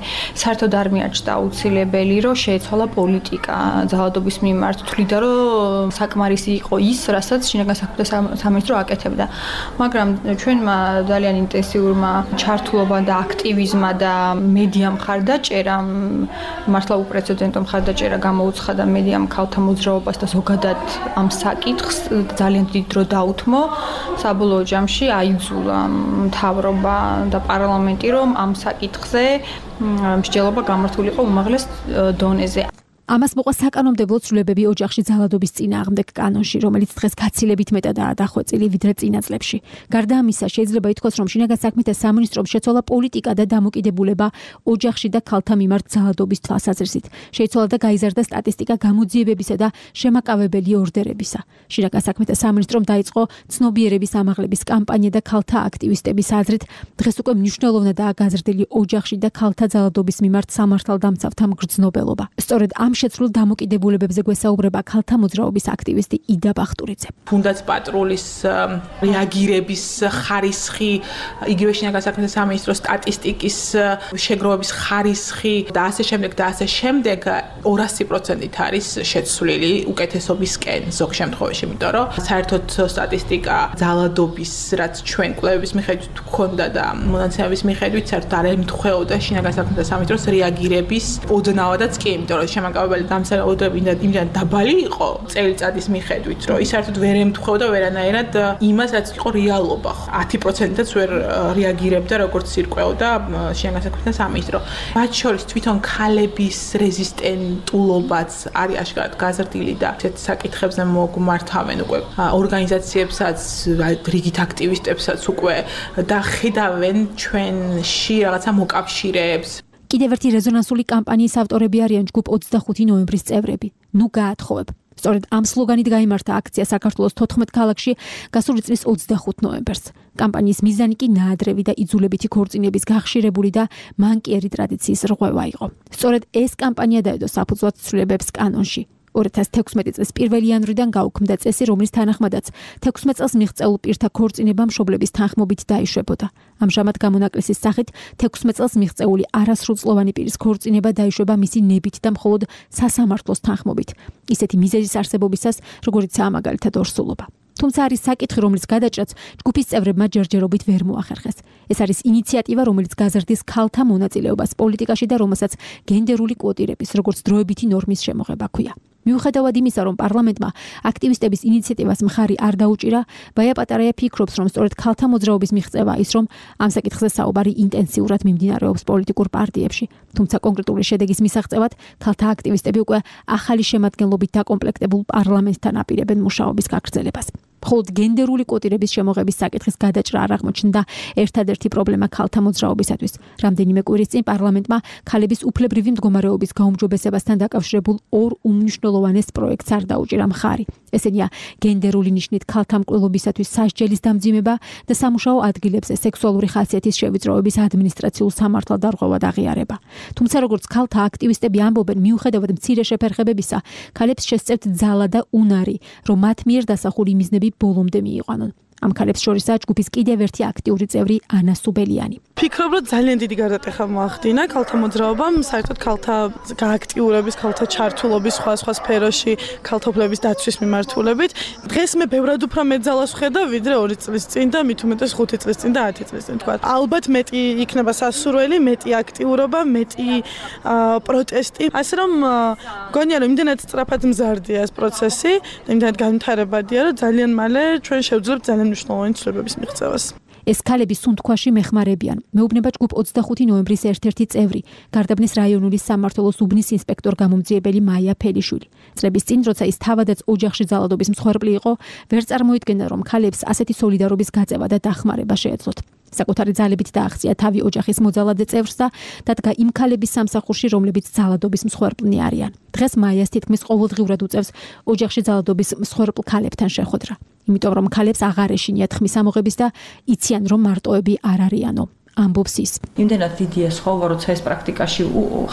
საერთოდ არ მიაჩნდა აუცილებელი, რომ შეეცვალა პოლიტიკა ძალადობის მიმართ, თვლიდა, რომ საკმარისი იყო ის, რასაც შინაგან საქმეთა სამინისტრო აკეთებდა. მაგრამ ჩვენმა ძალიან ინტენსიურმა ჩართულობამ და აქტივიზმმა და მედია მხარდაჭერა, მართლა უპრეცედენტო მხარდაჭერა გამოუცხადა მედიამ ქალთა მოძრაობას და ზოგადად ამ საკითხს ძალიან დიდ დრო დაუთმო. საბოლოო ჯამში აიძულა მთავრობა და პარლამენტი, რომ ამ საკითხზე მსჯელობა გამართულიყო უმაღლეს დონეზე.
ამას მოყვა საკანონმდებლო ცვლილებები ოჯახში ძალადობის წინააღმდეგ კანონში, რომელიც დღეს გაცილებით მეტადაა დახვეწილი ვიდრე წინა წლებში. გარდა ამისა, შეიძლება ითქვას, რომ შინაგან საქმეთა სამინისტრომ შეცვალა პოლიტიკა და დამოკიდებულება ოჯახში და ქალთა მიმართ ძალადობის თვალსაზრისით. შეიცვალა და გაიზარდა სტატისტიკა გამოძიებებისა და შემაკავებელი ორდერებისა. შინაგან საქმეთა სამინისტრომ დაიწყო ცნობიერების ამაღლების კამპანია და ქალთა აქტივისტების აზრით, დღეს უკვე მნიშვნელოვნადაა გაზრდილი ოჯახში და ქალთა ძალადობის მიმართ სამართალდამცავთა მგრძნობელობა. სწორედ ამ შეცვლილ დამოკიდებულებებზე გვესაუბრება ქალთა მოძრაობის აქტივისტი იდა ბახტურიძე.
თუნდაც პატრულის რეაგირების ხარისხი, იგივე შინაგან საქმეთა სამინისტროს სტატისტიკის შეგროვების ხარისხი და ასე შემდეგ 200%-ით არის შეცვლილი უკეთესობისკენ ზოგ შემთხვევაში, იმიტომ რომ საერთოდ სტატისტიკა ძალადობის, რაც ჩვენ კვლევების მიხედვით გქონდა და მონაცემების მიხედვით საერთოდ არ ემთხვეოდა შინაგან საქმეთა სამინისტროს რეაგირების ოდნავადაც კი, იმიტომ რომ შემაკავებელი დამსახურებები იმდან დაბალი იყო წელიწადის მიხედვით, რომ ის საერთოდ ვერ ემთხვეოდა ვერანაირად იმას, რაც იყო რეალობა. 10%-აც ვერ რეაგირებდა, როგორც ირკვეოდა შინაგან საქმეთა სამინისტრო. მათ შორის თვითონ ქალების რეზისტენტულობაც არის აშკარად გაზრდილი და ესეთ საკითხებზე მოგმართავენ უკვე ორგანიზაციებსაც, რიგით აქტივისტებსაც უკვე და ხედავენ ჩვენში რაღაცა მოკავშირეებს.
კიდევ ერთი რეზონანსული კამპანიის ავტორები არიან ჯგუფ 25 ნოემბრის წევრები. ნუ გაათხოვებ. სწორედ ამ სლოგანით გაიმართა აქცია საქართველოს 14 ქალაქში გასული წლის 25 ნოემბერს. კამპანიის მიზანი კი ნაადრევი და იძულებითი ქორწინების გახშირებული და მანკიერი ტრადიციის რღვევა იყო. სწორედ ეს კამპანია დაედო საფუძვლად ცვლილებებს კანონში. 2016 წლის 1 იანვრიდან გაუქმდა წესი, რომლის თანახმადაც 16 წელს მიღწეულ პირთა ქორწინება მშობლების თანხმობით დაიშვებოდა. ამჟამად გამონაკლისის სახით 16 წელს მიღწეული არასრულწლოვანი პირის ქორწინება დაიშვება მისი ნებით და მხოლოდ სასამართლოს თანხმობით. ისეთი მიზეზის არსებობისას, როგორიცაა მაგალითად ორსულობა. თუმცა არის საკითხი, რომლის გადაჭრაც ჯგუფის წევრებმა ჯერჯერობით ვერ მოახერხეს. ეს არის ინიციატივა, რომელიც გაზრდის ქალთა მონაწილეობას პოლიტიკაში და რომელსაც გენდერული კვოტირების, როგორც დროებითი ნორმის შემოღება ჰქვია. მიუხედავად იმისა, რომ პარლამენტმა აქტივისტების ინიციატივას მხარი არ დაუჭირა, ბაია პატარაია ფიქრობს, რომ სწორედ ქალთა მოძრაობის მიღწევა ის, რომ ამ საკითხზე საუბარი ინტენსიურად მიმდინარეობს პოლიტიკურ პარტიებში. თუმცა კონკრეტული შედეგის მისაღწევად ქალთა აქტივისტები უკვე ახალი შემადგენლობით დაკომპლექტებულ პარლამენტთან აპირებენ მუშაობის გაგრძელებას. მხოლოდ გენდერული კვოტირების შემოღების საკითხის გადაჭრა არ აღმოჩნდა ერთადერთი პრობლემა ქალთა მოძრაობისათვის. რამდენიმე კვირის წინ პარლამენტმა ქალების უფლებრივი მდგომარეობის გაუმჯობესებასთან დაკავშირებულ ორ უმნიშვნელოვანეს პროექტს არ დაუჭირა მხარი. ესენია გენდერული ნიშნით ქალთა მკვლელობისათვის სასჯელის დამძიმება და სამუშაო ადგილებზე სექსუალური ხასიათის შევიწროების ადმინისტრაციულ სამართალდარღვევად აღიარება. თუმცა როგორც ქალთა აქტივისტები ამბობენ, მიუხედავად მცირე შეფერხებებისა, ქალებს შესწევთ ძალა და უნარი, რომ მათ მიერ დასახული მიზნები ბოლომდე მიიყვანონ. ამ ქალებს შორისაა ჯგუფის კიდევ ერთი აქტიური წევრი ანა სუბელიანი.
ფიქრობ, რომ ძალიან დიდი გარდატეხა მოახდინა ქალთა მოძრაობამ, საერთოდ ქალთა გააქტიურების, ქალთა ჩართულობის სხვა სფეროში, ქალთა უფლებების დაცვის მიმართულებით. დღეს მე ბევრად უფრო მეტ ძალას ვხედავ, ვიდრე 2 წლის წინ და მით უმეტეს 5 წლის წინ და 10 წლის წინ თქვა. ალბათ მეტი იქნება სასურველი, მეტი აქტიურობა, მეტი პროტესტი. ასე რომ გონია, რომ იმდენად სწრაფად მზარდია ეს პროცესი, იმდენად განვითარებადია, რომ ძალიან მალე ჩვენ შევძლებთ ძალიან მნიშვნელოვანი ცვლილებების მიღწევას.
ეს ქალები სუნთქვაში მეხმარებიან. მეუბნება ჯგუფ 25 ნოემბრის ერთ-ერთი წევრი, გარდაბნის რაიონული სამმართველოს უბნის ინსპექტორ გამომძიებელი მაია ფელიშვილი. წლების წინ, როცა ის თავადაც ოჯახში ძალადობის მსხვერპლი იყო, ვერ წარმოიდგენდა, რომ ქალებს ასეთი სოლიდარობის გაწევა და დახმარება შეეძლოთ. საკუთარი ძალებით დააღწია თავი ოჯახის მოძალადე წევრს და დადგა იმ ქალების სამსახურში, რომლებიც ძალადობის მსხვერპლნი არიან. დღეს მაიას თითქმის ყოველდღიურად უწევს ოჯახში ძალადობის მსხვერპლ ქალებთან შეხვედრა. იმიტომ რომ ქალებს აღარ ეშინიათ ხმის ამოღების და იციან, რომ მარტოები არ არიანო. ამბობს ის.
იმდენად დიდია სხვაობა, როცა ეს პრაქტიკაში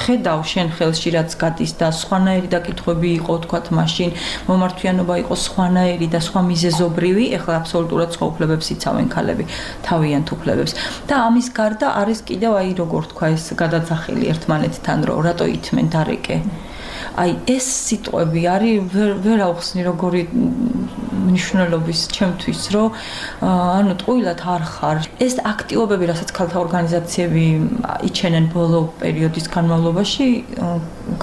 ხედავ შენ ხელში რაც გადის და სხვანაირი დაკითხვები იყო, თქვათ, მაშინ მომართვიანობა იყო სხვანაირი და სხვა მიზეზობრივი, ეხლა აბსოლუტურად სხვა უფლებებს იცავენ ქალები, თავიანთ უფლებებს. და ამის გარდა არის კიდევ აი როგორ თქვა ეს გადაძახილი ერთმანეთთან, რომ რატო ითმენ დარეკე. აი ეს სიტყვები არის ვერ ავხსნი როგორი მნიშვნელობის ჩემთვის, რომ ანუ ტყუილად არ ხარ. ეს აქტივობები, რასაც ქალთა ორგანიზაციები იჩენენ ბოლო პერიოდის განმავლობაში,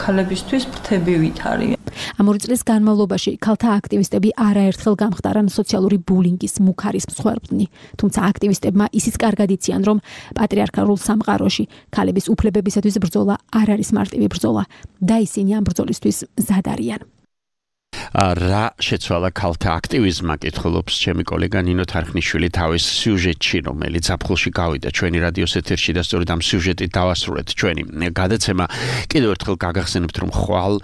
ქალებისთვის ფრთებივით არის.
ამ 2 წლის განმავლობაში ქალთა აქტივისტები არაერთხელ გამხდარან სოციალური ბულინგის მუქარის მსხვერპლნი. თუმცა აქტივისტებმა ისიც კარგად იციან, რომ პატრიარქალურ სამყაროში ქალების უფლებებისათვის ბრძოლა არ არის მარტივი ბრძოლა და ისინი ამ ბრძოლისთვის მზად არიან.
რა შეცვალა ქალთა აქტივიზმმა კითხულობს ჩემი კოლეგა ნინო თარხნიშვილი თავის სიუჟეტში, რომელიც ზაფხულში გავიდა ჩვენი რადიოს ეთერში და სწორედ ამ სიუჟეტით დავასრულეთ ჩვენი გადაცემა. კიდევ ერთხელ გაგახსენებთ, რომ ხვალ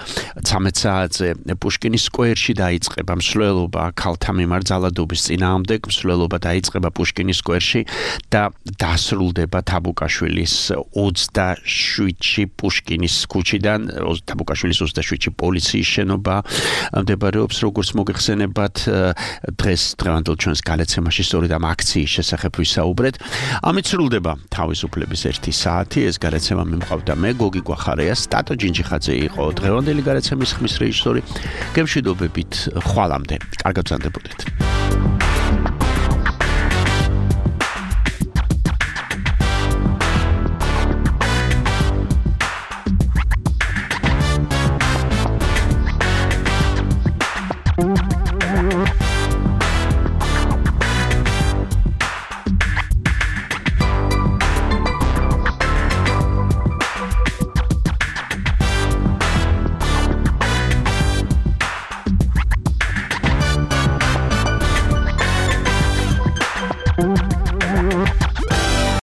13 საათზე პუშკინის სკვერში დაიწყება მსვლელობა ქალთა მიმართ ძალადობის წინააღმდეგ, მსვლელობა დაიწყება პუშკინის სკვერში და დასრულდება თაბუკაშვილის 27-ში პუშკინის ქუჩიდან, თაბუკაშვილის 27-ში პოლიციის შენობა მდებარეობს, როგორც მოგეხსენებათ, დღევანდელ ჩვენს გადაცემაში სწორედ ამ აქციის შესახებ ვისაუბრეთ. ამით სრულდება თავისუფლების 1 საათი. ეს გადაცემა მიმყავდა მე, გოგი გვახარია, სტატო ჯინჯიხაძე იყო დღევანდელი გადაცემის ხმის რეჟისორი. გემშვიდობებით ხვალამდე. კარგად გრძანდებოდეთ.